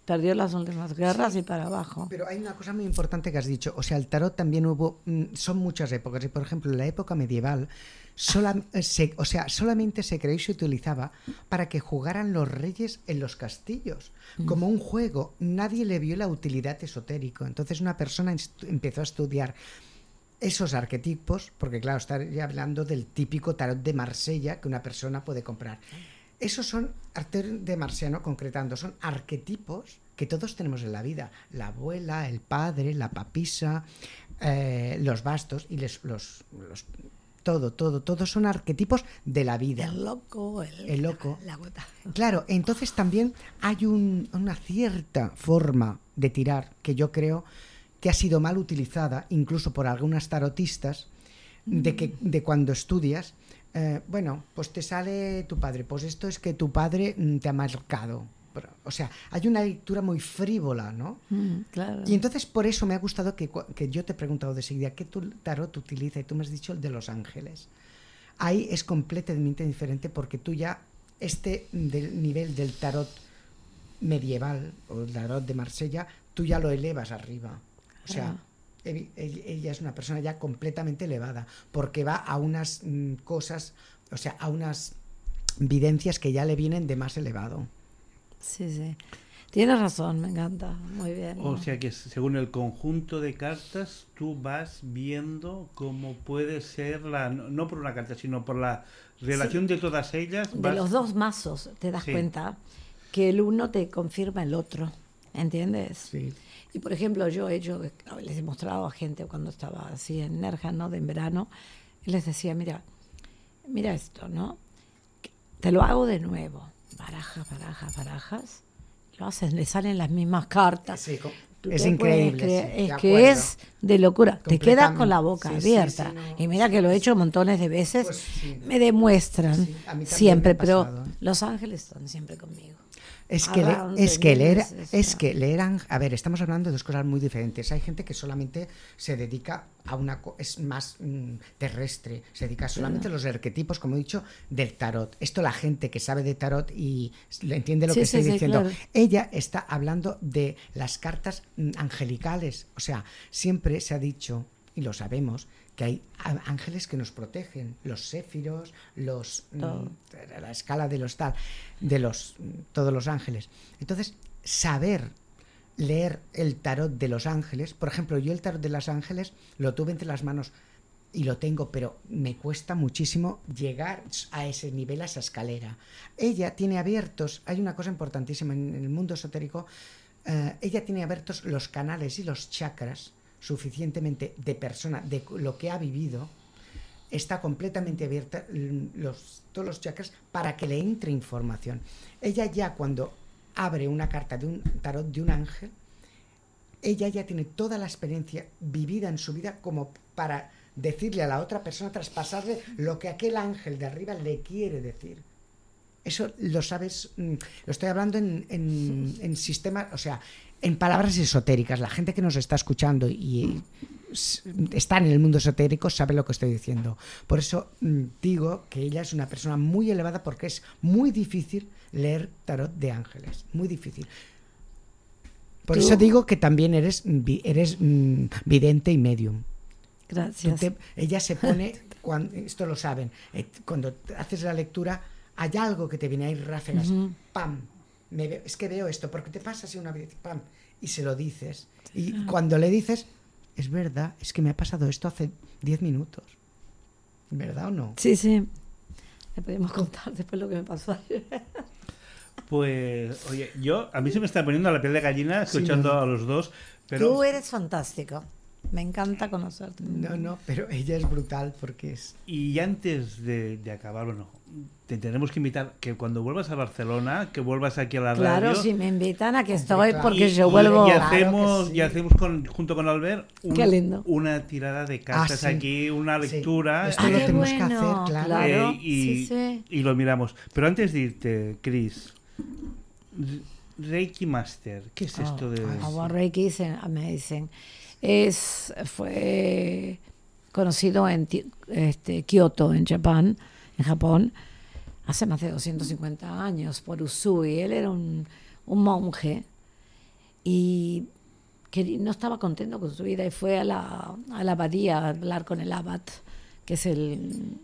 perdió las últimas guerras Sí. y para abajo. Pero hay una cosa muy importante que has dicho. O sea, el tarot también hubo... mm, Son muchas épocas. Y, por ejemplo, en la época medieval, sola- se, o sea, solamente se creó y se utilizaba para que jugaran los reyes en los castillos. Como un juego. Nadie le vio la utilidad esotérico. Entonces una persona estu- empezó a estudiar esos arquetipos, porque claro, estaría hablando del típico tarot de Marsella que una persona puede comprar. Esos son, arte de Marciano concretando, son arquetipos que todos tenemos en la vida. La abuela, el padre, la papisa, eh, los bastos y les- los, los... Todo, todo, todos son arquetipos de la vida. El loco, el, El loco. La, gota. Claro, entonces también hay un- una cierta forma de tirar que yo creo que ha sido mal utilizada, incluso por algunas tarotistas, de que de cuando estudias, eh, bueno, pues te sale tu padre, pues esto es que tu padre mm, te ha marcado. Pero, o sea, hay una lectura muy frívola, ¿no? Mm, claro. Y entonces por eso me ha gustado que, cua- que yo te he preguntado de seguida qué tu tarot utiliza y tú me has dicho el de los ángeles. Ahí es completamente diferente porque tú ya, este del nivel del tarot medieval o el tarot de Marsella, tú ya lo elevas arriba. O sea, evi- el- ella es una persona ya completamente elevada porque va a unas mm, cosas, o sea, a unas videncias que ya le vienen de más elevado. Sí, sí. Tienes razón, me encanta. Muy bien. O sea que según el conjunto de cartas, tú vas viendo cómo puede ser la, no no por una carta, sino por la relación de todas ellas. De vas- los dos mazos te das Sí. cuenta que el uno te confirma el otro, ¿entiendes? Sí. Y por ejemplo, yo he hecho, les he mostrado a gente cuando estaba así en Nerja, ¿no? De en verano, y les decía, mira, mira esto, ¿no? Te lo hago de nuevo. Barajas, barajas, barajas. Lo hacen, le salen las mismas cartas. Sí, co- tú es te increíble, puedes creer, sí, es de que acuerdo. es de locura. Te quedas con la boca Sí, sí, abierta. sí, no, y mira que lo he hecho montones de veces. Pues sí. Me demuestran Sí, a mí también siempre, me ha pero pasado. Los Ángeles están siempre conmigo. Es que, le- Around es, the que leer, universe, es está. que leer, ang- a ver, estamos hablando de dos cosas muy diferentes. Hay gente que solamente se dedica a una, co- es más mm, terrestre, se dedica solamente a los arquetipos, como he dicho, del tarot. Esto la gente que sabe de tarot y le entiende lo Sí, que sí, estoy sí, diciendo. claro. Ella está hablando de las cartas mm, angelicales. O sea, siempre se ha dicho, y lo sabemos, que hay á- ángeles que nos protegen, los séfiros, los mm, Todo. la escala de los tal, de los mm, todos los ángeles. Entonces, saber leer el tarot de los ángeles, por ejemplo, yo el tarot de los ángeles lo tuve entre las manos y lo tengo, pero me cuesta muchísimo llegar a ese nivel, a esa escalera. Ella tiene abiertos, hay una cosa importantísima en el mundo esotérico, eh, ella tiene abiertos los canales y los chakras suficientemente de persona, de lo que ha vivido, está completamente abierta mm, los, todos los chakras para que le entre información. Ella ya cuando abre una carta de un tarot de un ángel, ella ya tiene toda la experiencia vivida en su vida como para decirle a la otra persona, traspasarle lo que aquel ángel de arriba le quiere decir. Eso lo sabes, mm, lo estoy hablando en, en, en sistemas, o sea, en palabras esotéricas. La gente que nos está escuchando y s- está en el mundo esotérico sabe lo que estoy diciendo. Por eso mm, digo que ella es una persona muy elevada porque es muy difícil leer tarot de ángeles, muy difícil. Por Tú- eso digo que también eres, vi- eres mm, vidente y medium. Tú Gracias. te- ella se pone, cuando, esto lo saben, eh, cuando haces la lectura hay algo que te viene ahí ráfagas, Ujú. pam, me veo- es que veo esto, porque te pasa así una vez, pam, y se lo dices. Y cuando le dices, es verdad, es que me ha pasado esto hace diez minutos. ¿Verdad o no? Sí, sí. Le podemos contar después lo que me pasó ayer. Pues, oye, yo, a mí se me está poniendo la piel de gallina escuchando Sí, no. a los dos, pero... Tú eres fantástico. Me encanta conocerte. No, no, pero ella es brutal porque es... Y antes de, de acabar, bueno, te tenemos que invitar que cuando vuelvas a Barcelona, que vuelvas aquí a la Claro, radio. si me invitan a que Hombre, estoy, claro. porque y, yo y- vuelvo... y Claro que hacemos, sí. y hacemos con, junto con Albert un- Qué lindo. una tirada de cartas sí. aquí, una Sí. lectura. Esto Ah, lo qué tenemos que bueno, hacer, claro. claro. eh, y, Sí, sí. y lo miramos. Pero antes de irte, Chris, Reiki Master, ¿qué es esto de...? Our Reiki is amazing. Es, fue conocido en Ti- este, Kioto, en Japón, en Japón, hace más de doscientos cincuenta años, por Usui. Él era un, un monje y que no estaba contento con su vida y fue a la, a la abadía a hablar con el abad, que es el...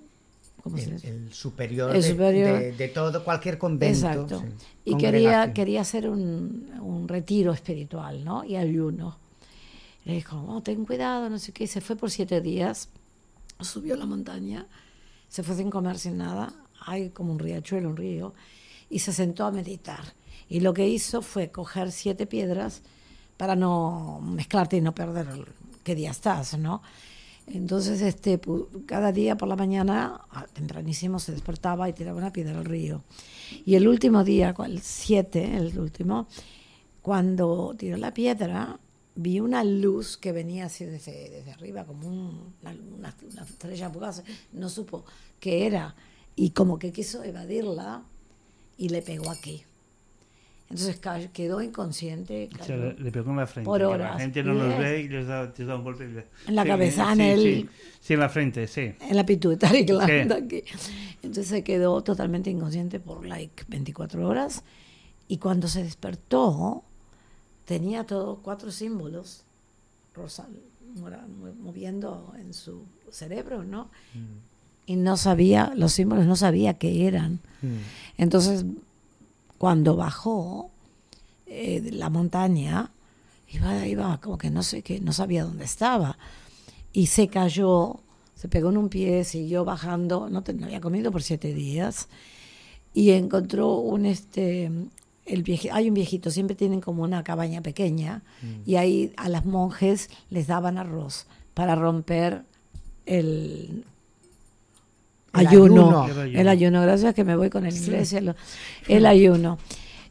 ¿cómo se El, dice? el superior, El de, superior. de- de todo, cualquier convento. Exacto. sí, Y quería, congregación. quería hacer un, un retiro espiritual, ¿no? Y ayuno. Le dijo, oh, ten cuidado, no sé qué. Y se fue por siete días, subió la montaña, se fue sin comer, sin nada. Hay como un riachuelo, un río. Y se sentó a meditar. Y lo que hizo fue coger siete piedras para no mezclarte y no perder el- qué día estás, ¿no? Entonces, este, pu- cada día por la mañana, ah, tempranísimo, se despertaba y tiraba una piedra al río. Y el último día, el siete, el último, cuando tiró la piedra, vi una luz que venía así desde, desde arriba, como un- una, una, una estrella fugaz, no supo qué era, y como que quiso evadirla y le pegó aquí. Entonces ca- quedó inconsciente. O sea, cayó. le, le pegó en la frente. Por que horas. La gente no nos Yes. ve y les da, les da un golpe. y le- En la Sí, cabeza, en sí, el- Sí. Sí, en la frente, sí. En la pituitaria gland Sí. aquí. Entonces se quedó totalmente inconsciente por like veinticuatro horas y cuando se despertó tenía todos cuatro símbolos rosa, mora- moviendo en su cerebro, ¿no? Y no sabía, los símbolos no sabía qué eran. Mm. Entonces, cuando bajó eh, de la montaña, iba, iba como que no sé qué, no sabía dónde estaba. Y se cayó, se pegó en un pie, siguió bajando, no, te- no había comido por siete días, y encontró un este el vieji- hay un viejito, siempre tienen como una cabaña pequeña, y ahí a las monjes les daban arroz para romper el El ayuno, ayuno. el ayuno, gracias que me voy con el inglés, el, el ayuno.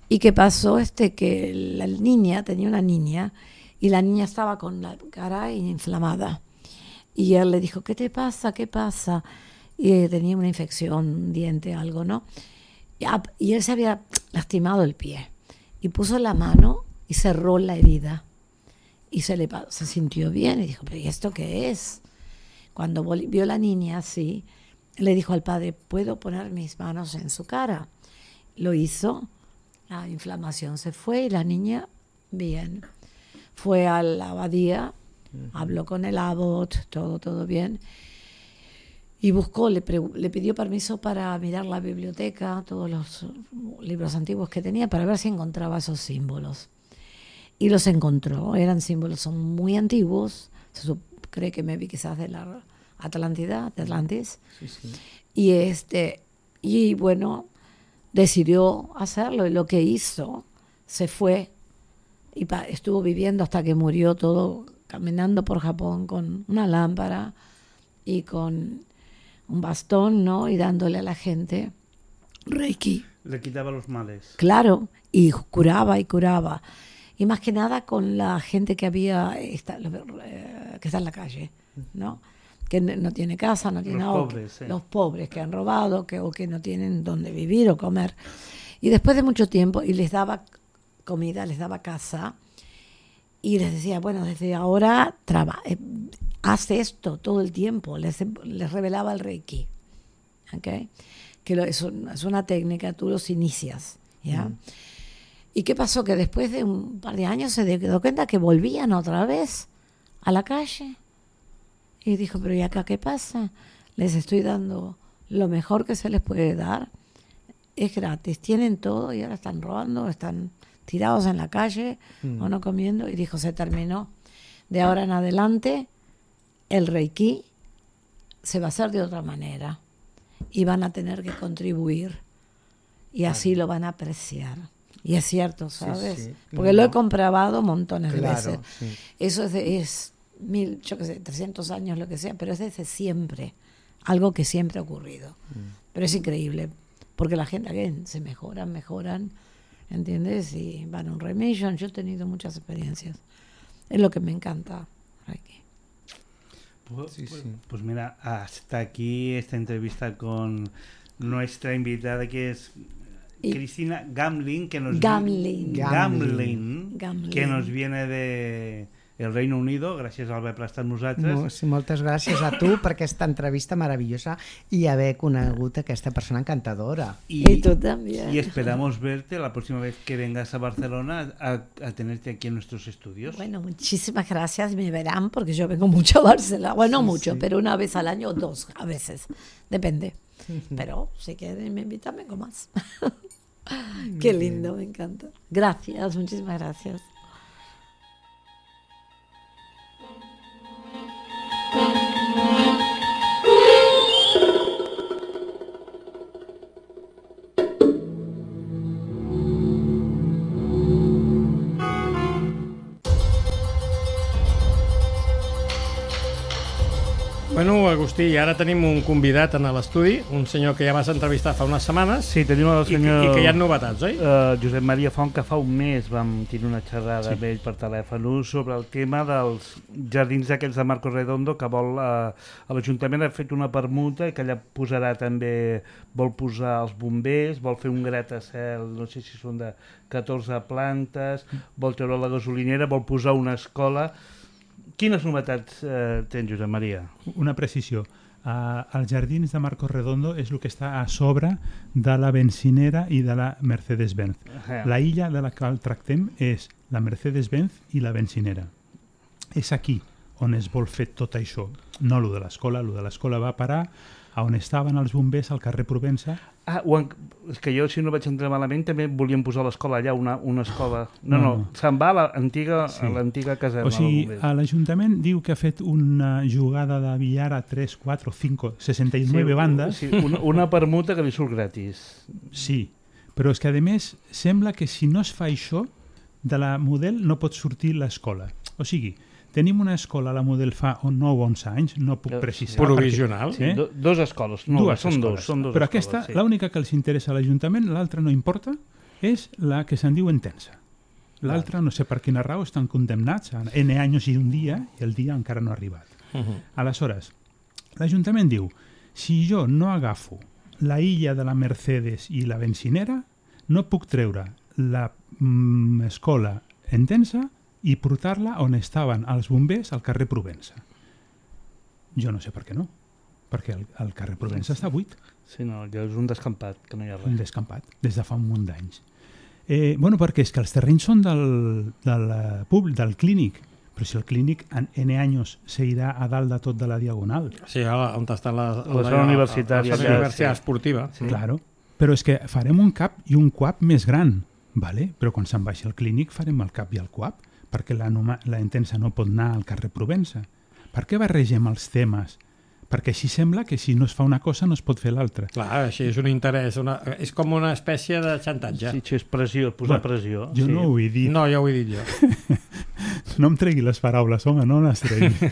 ¿Y qué pasó? Este, que la niña, tenía una niña, y la niña estaba con la cara inflamada. Y él le dijo, ¿qué te pasa? ¿Qué pasa? Y eh, tenía una infección, un diente, algo, ¿no? Y, y él se había lastimado el pie. Y puso la mano y cerró la herida. Y se, le, se sintió bien y dijo, ¿pero y esto qué es? Cuando vio la niña así, le dijo al padre, ¿puedo poner mis manos en su cara? Lo hizo, la inflamación se fue y la niña, bien. Fue a la abadía, uh-huh. habló con el abbot, todo, todo bien. Y buscó, le, le pidió permiso para mirar la biblioteca, todos los libros antiguos que tenía, para ver si encontraba esos símbolos. Y los encontró, eran símbolos, son muy antiguos, se cree que me vi quizás de la Atlántida, de Atlantis. Sí, sí. Y, este, y bueno, decidió hacerlo, y lo que hizo, se fue, y pa, estuvo viviendo hasta que murió, todo caminando por Japón con una lámpara y con un bastón, ¿no? Y dándole a la gente Reiki. Le quitaba los males. Claro, y curaba y curaba. Y más que nada con la gente que había está, que está en la calle, ¿no? Que no tiene casa, no tiene los agua, pobres, sí. Los pobres que han robado que, o que no tienen dónde vivir o comer. Y después de mucho tiempo, y les daba comida, les daba casa, y les decía, bueno, desde ahora traba, eh, haz esto todo el tiempo, les, les revelaba el Reiki, ¿okay? Que lo, es, un, es una técnica, tú los inicias, ¿ya? Mm. ¿Y qué pasó? Que después de un par de años se dio cuenta que volvían otra vez a la calle. Y dijo, pero ¿y acá qué pasa? Les estoy dando lo mejor que se les puede dar. Es gratis, tienen todo y ahora están robando, están tirados en la calle mm. o no comiendo. Y dijo, se terminó. De ahora en adelante, el Reiki se va a hacer de otra manera. Y van a tener que contribuir. Y así lo van a apreciar. Y es cierto, ¿sabes? Sí, sí. Porque no. lo he comprobado montones claro, de veces. Sí. Eso es, de, es mil, yo qué sé, trescientos años, lo que sea, pero es desde siempre. Algo que siempre ha ocurrido. Mm. Pero es increíble, porque la gente, again, se mejoran, mejoran, ¿entiendes? Y van a un remission. Yo he tenido muchas experiencias. Es lo que me encanta. Aquí. Pues, sí, sí. pues mira, hasta aquí esta entrevista con nuestra invitada, que es Y Cristina Gamlin, que nos Gamlin. Gamlin, Gamlin, que nos viene de el Reino Unido. Gràcies a haver prestat nosaltres. No, sí, moltes gràcies a tu per aquesta entrevista maravillosa y haber conegut aquesta persona encantadora. Y, y tú también. Y esperamos verte la próxima vez que vengas a Barcelona a, a tenerte aquí en nuestros estudios. Bueno, muchísimas gracias. Me verán porque yo vengo mucho a Barcelona. Bueno, sí, mucho, sí. pero una vez al año o dos a veces. Depende. Pero si quieren me invitan, vengo más. Qué lindo, me encanta. Gracias, muchísimas gracias. Bueno, Agustí, ara tenim un convidat en l'estudi, un senyor que ja vas entrevistar fa unes setmanes. Sí, tenim el senyor... I, i que hi ha novetats, oi? Uh, Josep Maria Font, que fa un mes vam tenir una xerrada sí. amb ell per telèfon sobre el tema dels jardins aquells de Marcos Redondo, que vol... Uh, l'Ajuntament ha fet una permuta i que allà posarà també... Vol posar els bombers, vol fer un gratacel, no sé si són de catorze plantes, vol treure la gasolinera, vol posar una escola... Quines novetats eh, tens, Josep Maria? Una precisió. Uh, els jardins de Marcos Redondo és el que està a sobre de la benzinera i de la Mercedes-Benz. Uh-huh. La illa de la qual tractem és la Mercedes-Benz i la benzinera. És aquí on es vol fer tot això. No lo de l'escola, lo de l'escola va parar a on estaven els bombers al carrer Provença. Ah, en... és que jo, si no vaig entrar malament, també volíem posar l'escola allà, una, una escola... No, no, no. se'n va a l'antiga sí. caserna. O sigui, l'Ajuntament diu que ha fet una jugada de billar a tres, quatre, cinco, seixanta-nou sí, bandes. Sí, una, una permuta que li surt gratis. Sí, però és que a més sembla que si no es fa això, de la model no pot sortir l'escola. O sigui, tenim una escola a la model fa nou o onze anys, no puc precisar. Provisional? Perquè, eh? Do, dos escoles, no, dues són escoles. dos. Són dos Però escoles, aquesta, sí. l'única que els interessa a l'Ajuntament, l'altra no importa, és la que se'n diu Intensa. L'altre, no sé per quina raó, estan condemnats a N anys i un dia i el dia encara no ha arribat. Uh-huh. Aleshores, l'Ajuntament diu, si jo no agafo la illa de la Mercedes i la bencinera, no puc treure l'escola Entença i portar-la on estaven els bombers al carrer Provença. Jo no sé per què no, perquè el, el carrer Provença està buit. Sí, no, allò és un descampat, que no hi ha res. Un descampat, des de fa un munt d'anys. Eh, bueno, perquè és que els terrenys són del, del, públic, del clínic, però si el clínic en N anys seguirà a dalt de tot de la Diagonal. Sí, on està la, la, la zona universitària. La zona universitària esportiva. Sí. Claro, però és que farem un cap i un cuap més gran, vale? Però quan se'n baixi el clínic farem el cap i el cuap, perquè la, la Entença no pot anar al carrer Provença. Per què barregem els temes? Perquè així sembla que si no es fa una cosa no es pot fer l'altra. Clar, així és un interès, una, és com una espècie de xantatge. Sí, sí, és pressió, posar bueno, pressió. Jo sí. no ho he dit. No, ja ho he dit jo. No em tregui les paraules, home, no les tregui.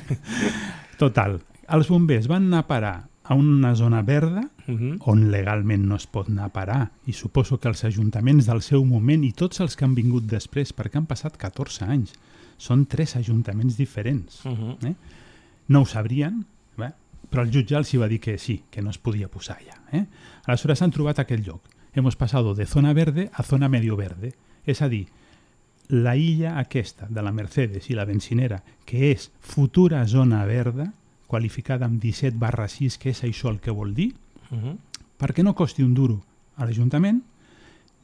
Total, els bombers van anar a parar a una zona verda uh-huh. on legalment no es pot anar a parar, i suposo que els ajuntaments del seu moment i tots els que han vingut després, perquè han passat catorze anys, són tres ajuntaments diferents. Uh-huh. Eh? No ho sabrien, eh? Però el jutge els va dir que sí, que no es podia posar allà. Eh? Aleshores han trobat aquell lloc. Hemos pasado de zona verde a zona medio verde. És a dir, la illa aquesta de la Mercedes i la bencinera, que és futura zona verda, qualificada amb disset barra sis, que és això el que vol dir, uh-huh. perquè no costi un duro a l'Ajuntament,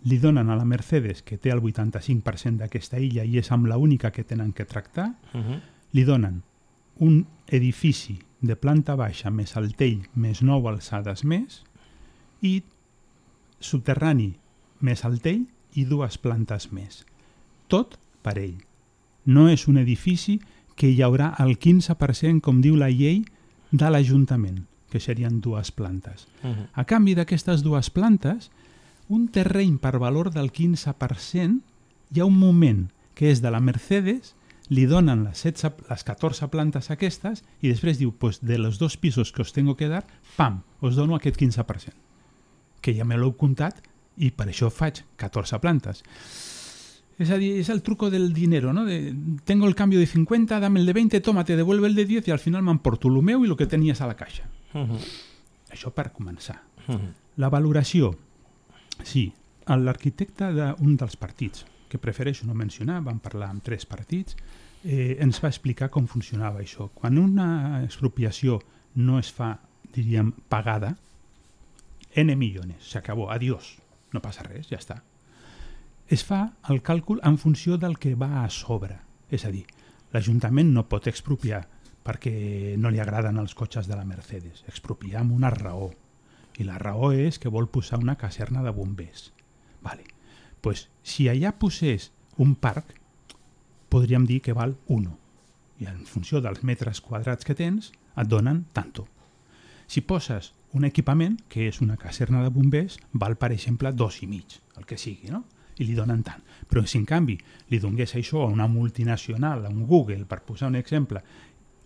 li donen a la Mercedes, que té el vuitanta-cinc per cent d'aquesta illa i és amb l'única que tenen que tractar, uh-huh. li donen un edifici de planta baixa més altell més nou alçades més i subterrani més altell i dues plantes més. Tot per ell. No és un edifici que hi haurà el quinze per cent, com diu la llei, de l'Ajuntament, que serien dues plantes. Uh-huh. A canvi d'aquestes dues plantes, un terreny per valor del quinze per cent, hi ha un moment que és de la Mercedes, li donen les, setze, les catorze plantes aquestes i després diu, pues de los dos pisos que os tengo que dar, pam, os dono aquest quinze per cent. Que ja me l'heu comptat i per això faig catorze plantes. És a dir, és el truco del dinero, ¿no? De, tengo el cambio de cincuenta, dame el de veinte, toma, te devuelve el de diez i al final m'emporto el meu i el que tenies a la caixa. Uh-huh. Això per començar. Uh-huh. La valoració. Sí, l'arquitecte d'un dels partits, que prefereixo no mencionar, vam parlar amb tres partits, eh, ens va explicar com funcionava això. Quan una expropiació no es fa, diríem, pagada, N millones, s'acabó, adiós, no passa res, ja està. Es fa el càlcul en funció del que va a sobre. És a dir, l'Ajuntament no pot expropiar perquè no li agraden els cotxes de la Mercedes. Expropiar amb una raó. I la raó és que vol posar una caserna de bombers. Vale. Pues, si allà posés un parc, podríem dir que val uno. I en funció dels metres quadrats que tens, et donen tanto. Si poses un equipament, que és una caserna de bombers, val, per exemple, dos i mig, el que sigui, no? I li donen tant. Però si en canvi li donés això a una multinacional, a un Google, per posar un exemple,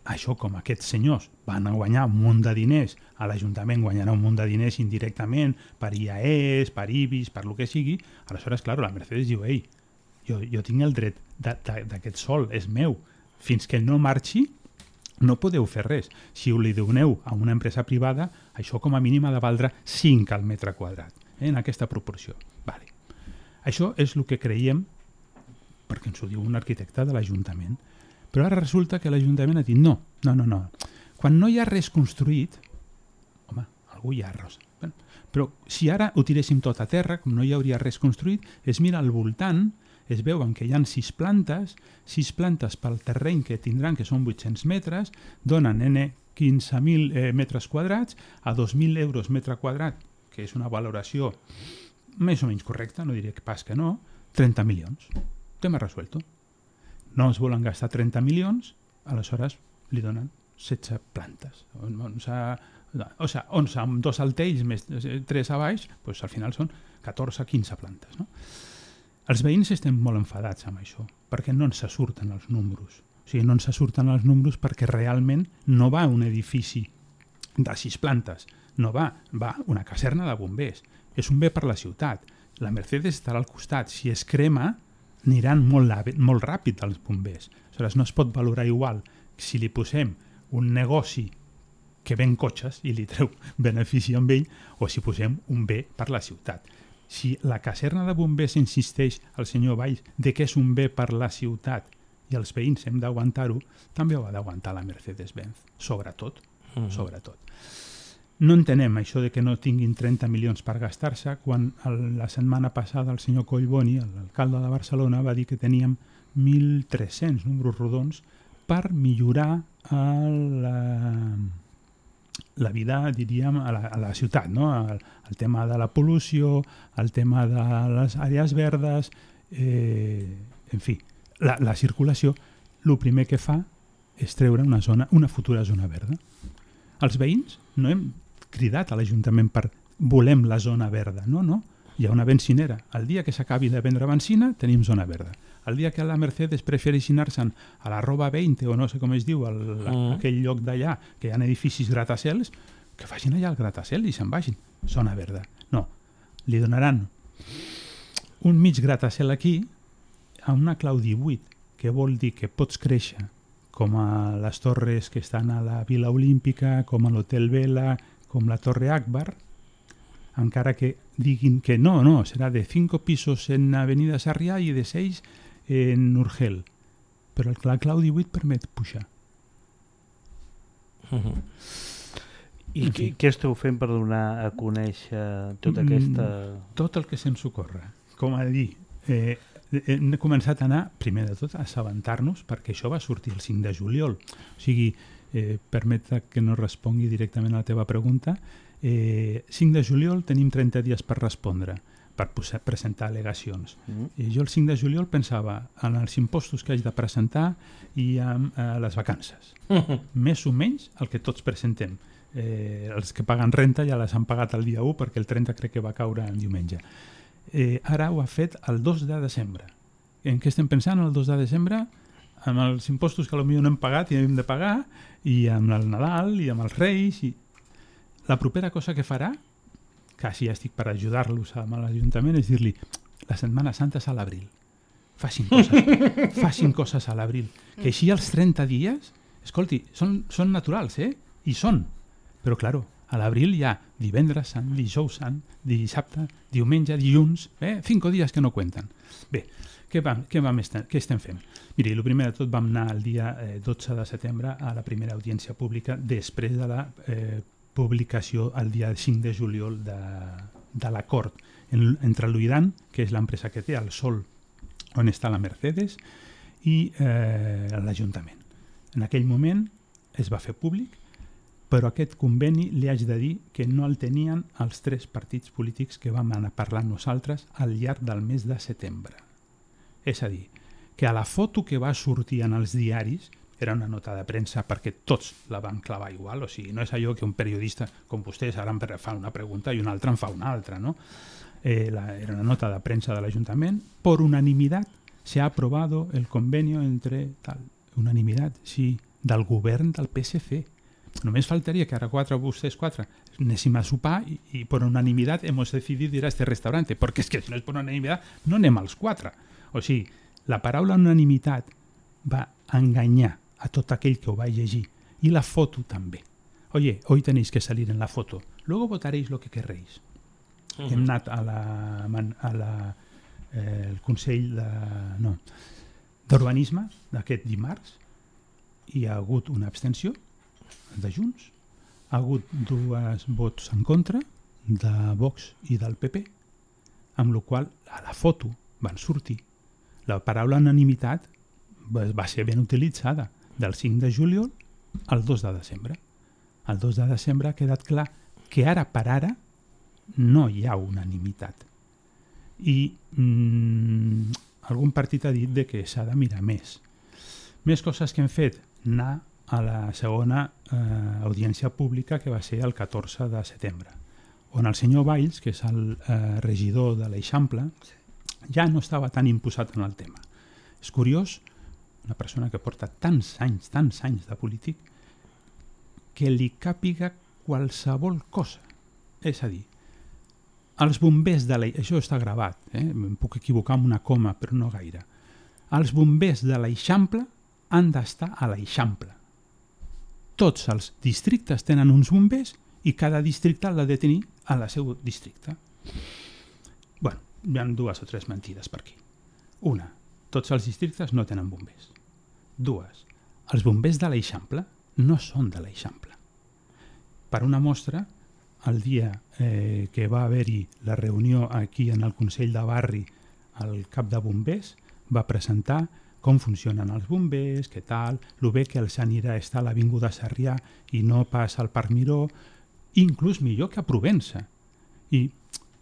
això com aquests senyors van a guanyar un munt de diners, a l'Ajuntament guanyarà un munt de diners indirectament per I A Es, per I B I S, per el que sigui, aleshores, clar, la Mercedes diu, ei, jo, jo tinc el dret d'aquest sol, és meu. Fins que no marxi, no podeu fer res. Si ho li doneu a una empresa privada, això com a mínim ha de valdre cinc al metre quadrat, eh, en aquesta proporció. Vale. Això és el que creiem, perquè ens ho diu un arquitecte de l'Ajuntament. Però ara resulta que l'Ajuntament ha dit no, no, no, no. Quan no hi ha res construït, home, algú hi ha res. Però si ara ho tiréssim tot a terra, com no hi hauria res construït, es mira al voltant, es veuen que hi ha sis plantes, sis plantes pel terreny que tindran, que són vuit-cents metres, donen N quinze mil eh, metres quadrats a dos mil euros metre quadrat, que és una valoració més o menys correcta, no diré que pas que no, trenta milions. Tema resuelto. No es volen gastar trenta milions, aleshores li donen setze plantes. onze, o sigui, onze amb dos altells més tres a baix, doncs al final són catorze quinze plantes. No? Els veïns estem molt enfadats amb això, perquè no ens surten els números. O sigui, no ens surten els números perquè realment no va un edifici de sis plantes, no va, va una caserna de bombers. És un bé per la ciutat. La Mercedes estarà al costat. Si es crema, aniran molt, molt ràpid els bombers. Aleshores, no es pot valorar igual si li posem un negoci que ven cotxes i li treu benefici amb ell, o si posem un bé per la ciutat. Si la caserna de bombers insisteix al senyor Valls de que és un bé per la ciutat i els veïns hem d'aguantar-ho, també ho ha d'aguantar la Mercedes-Benz, sobretot, mm. sobretot. No entenem això de que no tinguin trenta milions per gastar-se quan el, la setmana passada el senyor Collboni, l'alcalde de Barcelona, va dir que teníem mil tres-cents números rodons per millorar el, la, la vida, diríem, a la, a la ciutat, no? El, el tema de la pol·lució, el tema de les àrees verdes, eh, en fi, la, la circulació, el primer que fa és treure una, zona, una futura zona verda. Els veïns no hem cridat a l'Ajuntament per volem la zona verda, no, no. Hi ha una benzinera. El dia que s'acabi de vendre benzina tenim zona verda. El dia que la Mercedes prefereixi anar-se'n a la Roba vint o no sé com es diu, el, mm. aquell lloc d'allà, que hi ha edificis gratacels, que facin allà el gratacel i se'n vagin. Zona verda. No, li donaran un mig gratacel aquí a una clau divuit, que vol dir que pots créixer com a les torres que estan a la Vila Olímpica, com a l'Hotel Vela, com la Torre Akbar, encara que diguin que no, no, serà de cinco pisos en Avenida Sarrià i de seis en Urgel. Però el Clau divuit permet pujar. Uh-huh. I què, què esteu fent per donar a conèixer tota aquesta... Tot el que se'ns ocorre. Com a dir, eh, hem començat a anar, primer de tot, a assabentar-nos, perquè això va sortir el cinc de juliol. O sigui, eh, permet que no respongui directament a la teva pregunta. Eh, cinc de juliol tenim trenta dies per respondre, per posar, presentar al·legacions. Mm. I jo el cinc de juliol pensava en els impostos que haig de presentar i en eh, les vacances. Mm-hmm. Més o menys el que tots presentem. Eh, els que paguen renta ja les han pagat el dia u perquè el trenta crec que va caure en diumenge. Eh, ara ho ha fet el dos de desembre. En què estem pensant el dos de desembre? Amb els impostos que potser no hem pagat i hem de pagar, i amb el Nadal i amb els Reis. I... La propera cosa que farà, quasi ja estic per ajudar-los amb l'Ajuntament, és dir-li la Setmana Santa és a l'abril. Facin coses, facin coses a l'abril. Que així els trenta dies, escolti, són, són naturals, eh? I són. Però, claro, a l'abril hi ha divendres sant, dijous sant, dissabte, diumenge, dilluns, eh? Cinco dies que no cuenten. Bé, què, vam, què, vam estem, què estem fent? Miri, el primer de tot vam anar el dia eh, dotze de setembre a la primera audiència pública després de la eh, publicació el dia cinc de juliol de, de l'acord en, entre l'Uidan, que és l'empresa que té el sol on està la Mercedes, i eh, l'Ajuntament. En aquell moment es va fer públic, però aquest conveni li haig de dir que no el tenien els tres partits polítics que vam anar parlant nosaltres al llarg del mes de setembre. És a dir, que a la foto que va sortir en els diaris era una nota de premsa perquè tots la van clavar igual, o sigui, no és allò que un periodista com vostès ara em fa una pregunta i un altre en fa una altra, no? Eh, la, era una nota de premsa de l'Ajuntament. Por unanimidad se ha aprobado el convenio entre tal, unanimidad, sí, del govern del P S C. Només faltaria que ara quatre, vostès quatre, anéssim a sopar i, i per unanimitat hemos decidido ir a este restaurante, perquè és que si no és per unanimitat no anem als quatre. O sigui, la paraula unanimitat va enganyar a tot aquell que ho va llegir, i la foto també. Oye, hoy tenéis que salir en la foto, luego votaréis lo que querréis. Uh-huh. Hem anat a la, a la, eh, el Consell de, no, d'Urbanisme d'aquest dimarts i hi ha hagut una abstenció de Junts, ha hagut dos vots en contra de Vox i del P P, amb la qual a la foto van sortir. La paraula unanimitat va ser ben utilitzada del cinc de juliol al dos de desembre. El dos de desembre ha quedat clar que ara per ara no hi ha unanimitat. I mm, algun partit ha dit de que s'ha de mirar més. Més coses que hem fet, anar a la segona eh, audiència pública que va ser el catorze de setembre, on el senyor Valls, que és el eh, regidor de l'Eixample, ja no estava tan imposat en el tema. És curiós, una persona que porta tants anys, tants anys de polític, que li càpiga qualsevol cosa. És a dir, els bombers de l'Eixample, això està gravat, eh? Em puc equivocar amb una coma, però no gaire. els bombers de l'Eixample han d'estar a l'Eixample. Tots els districtes tenen uns bombers i cada districte l'ha de tenir a la seu districte. Bueno, hi ha dues o tres mentides per aquí. Una, tots els districtes no tenen bombers. Dues, els bombers de l'Eixample no són de l'Eixample. Per una mostra, el dia eh, que va haver-hi la reunió aquí en el Consell de Barri, el cap de bombers va presentar com funcionen els bombers, què tal, el bé que els anirà estar a l'Avinguda Sarrià i no pas al Parc Miró, inclús millor que a Provença. I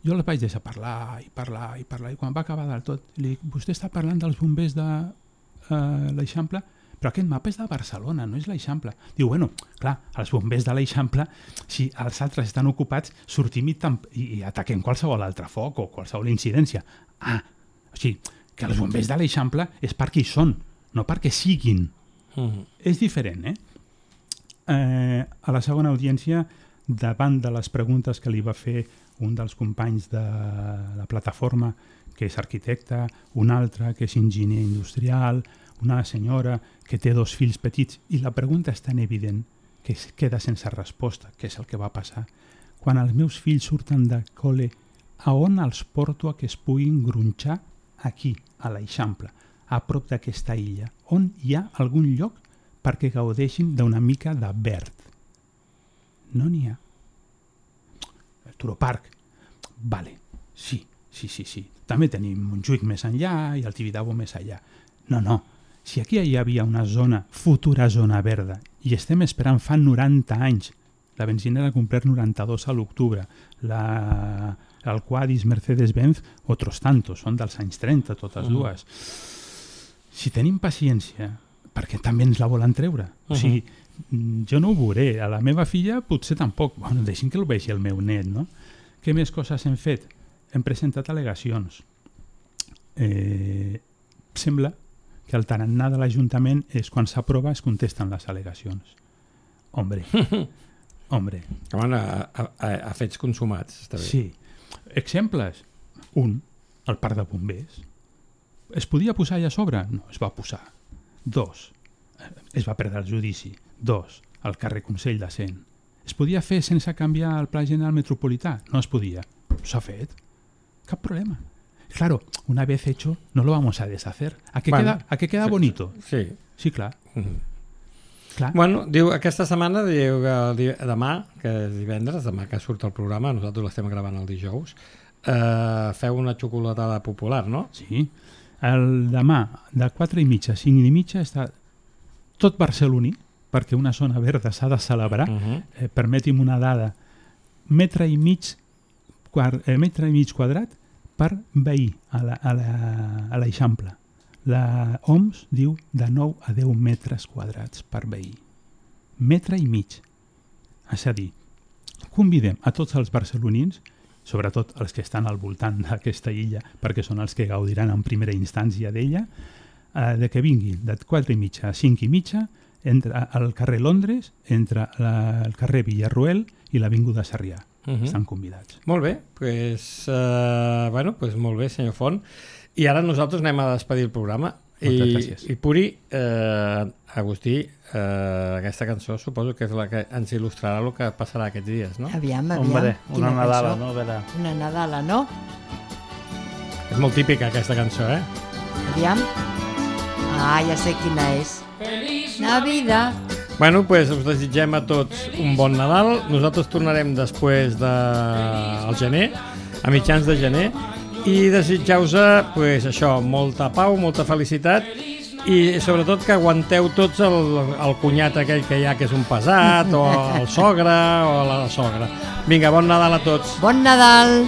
jo els vaig deixar parlar i parlar i parlar, i quan va acabar del tot, li dic, vostè està parlant dels bombers de eh, l'Eixample, però aquest mapa és de Barcelona, no és l'Eixample. Diu, bueno, clar, els bombers de l'Eixample, si els altres estan ocupats, sortim i, i, i ataquem qualsevol altre foc o qualsevol incidència. Ah, o sigui, que els bombers de l'Eixample és perquè hi són, no perquè siguin. Uh-huh. És diferent, eh? eh? A la segona audiència, davant de les preguntes que li va fer un dels companys de la plataforma, que és arquitecte, un altre que és enginyer industrial, una senyora que té dos fills petits, i la pregunta és tan evident que es queda sense resposta, que és el que va passar. Quan els meus fills surten de col·le, a on els porto a que es puguin gronxar? Aquí, a l'Eixample, a prop d'aquesta illa, on hi ha algun lloc perquè gaudeixin d'una mica de verd. No n'hi ha. El Turoparc, vale, sí, sí, sí, sí. També tenim Montjuïc més enllà i el Tibidabo més allà. No, no, si aquí hi havia una zona, futura zona verda, i estem esperant fa noranta anys, la benzinera ha complert noranta-dos a l'octubre, la... el Quadis, Mercedes-Benz, otros tantos, són dels anys trenta, totes uh-huh. dues. Si tenim paciència, perquè també ens la volen treure. Uh-huh. O sigui, jo no ho veuré, a la meva filla potser tampoc. Bueno, deixin que el vegi el meu net, no? Què més coses hem fet? Hem presentat al·legacions. Eh, sembla que el tarannà de l'Ajuntament és quan s'aprova es contesten les al·legacions. Hombre, hombre. Van a, a, a fets consumats, està bé. Sí. Exemples. Un, el parc de bombers. Es podia posar allà a sobre? No, es va posar. Dos, es va perdre el judici. Dos, el carrer Consell de Cent. Es podia fer sense canviar el Pla General Metropolità? No es podia. S'ha fet. Cap problema. Claro, una vez hecho, no lo vamos a deshacer. ¿A qué, bueno, queda, ¿a qué queda bonito? Sí. Sí, clar. Mm-hmm. Clar. Bueno, diu, aquesta setmana, diu que demà, que és divendres, demà que surt el programa, nosaltres l'estem gravant el dijous, eh, feu una xocolatada popular, no? Sí. El demà, de quatre i mitja a cinc i mitja, està tot barceloní, perquè una zona verda s'ha de celebrar. Uh-huh. eh, permeti'm una dada. Metre i mig, quart, eh, metre i mig quadrat per veí a la, a la, a l'Eixample. La O M S diu de nou a deu metres quadrats per veí. Metre i mig. És a dir, convidem a tots els barcelonins, sobretot els que estan al voltant d'aquesta illa, perquè són els que gaudiran en primera instància d'ella, eh, de que vinguin de quatre i mitja a cinc i mitja entre al carrer Londres, entre la, el carrer Villarroel i l'Avinguda Sarrià. Uh-huh. Estan convidats. Molt bé, pues, uh, bueno, pues molt bé, senyor Font. I ara nosaltres anem a despedir el programa. Moltes I, gràcies. I Puri, eh, Agustí, eh, aquesta cançó suposo que és la que ens il·lustrarà el que passarà aquests dies, no? Aviam, aviam. Hombre, una Nadala, cançó? no? A veure. Una Nadala, no? És molt típica aquesta cançó, eh? Aviam. Ah, ja sé quina és. Navidad. Bueno, pues us desitgem a tots un bon Nadal. Nosaltres tornarem després del de... gener, a mitjans de gener, i desitjau-vos pues, això, molta pau, molta felicitat i sobretot que aguanteu tots el, el cunyat aquell que hi ha que és un pesat, o el sogre o la sogra. Vinga, bon Nadal a tots. Bon Nadal!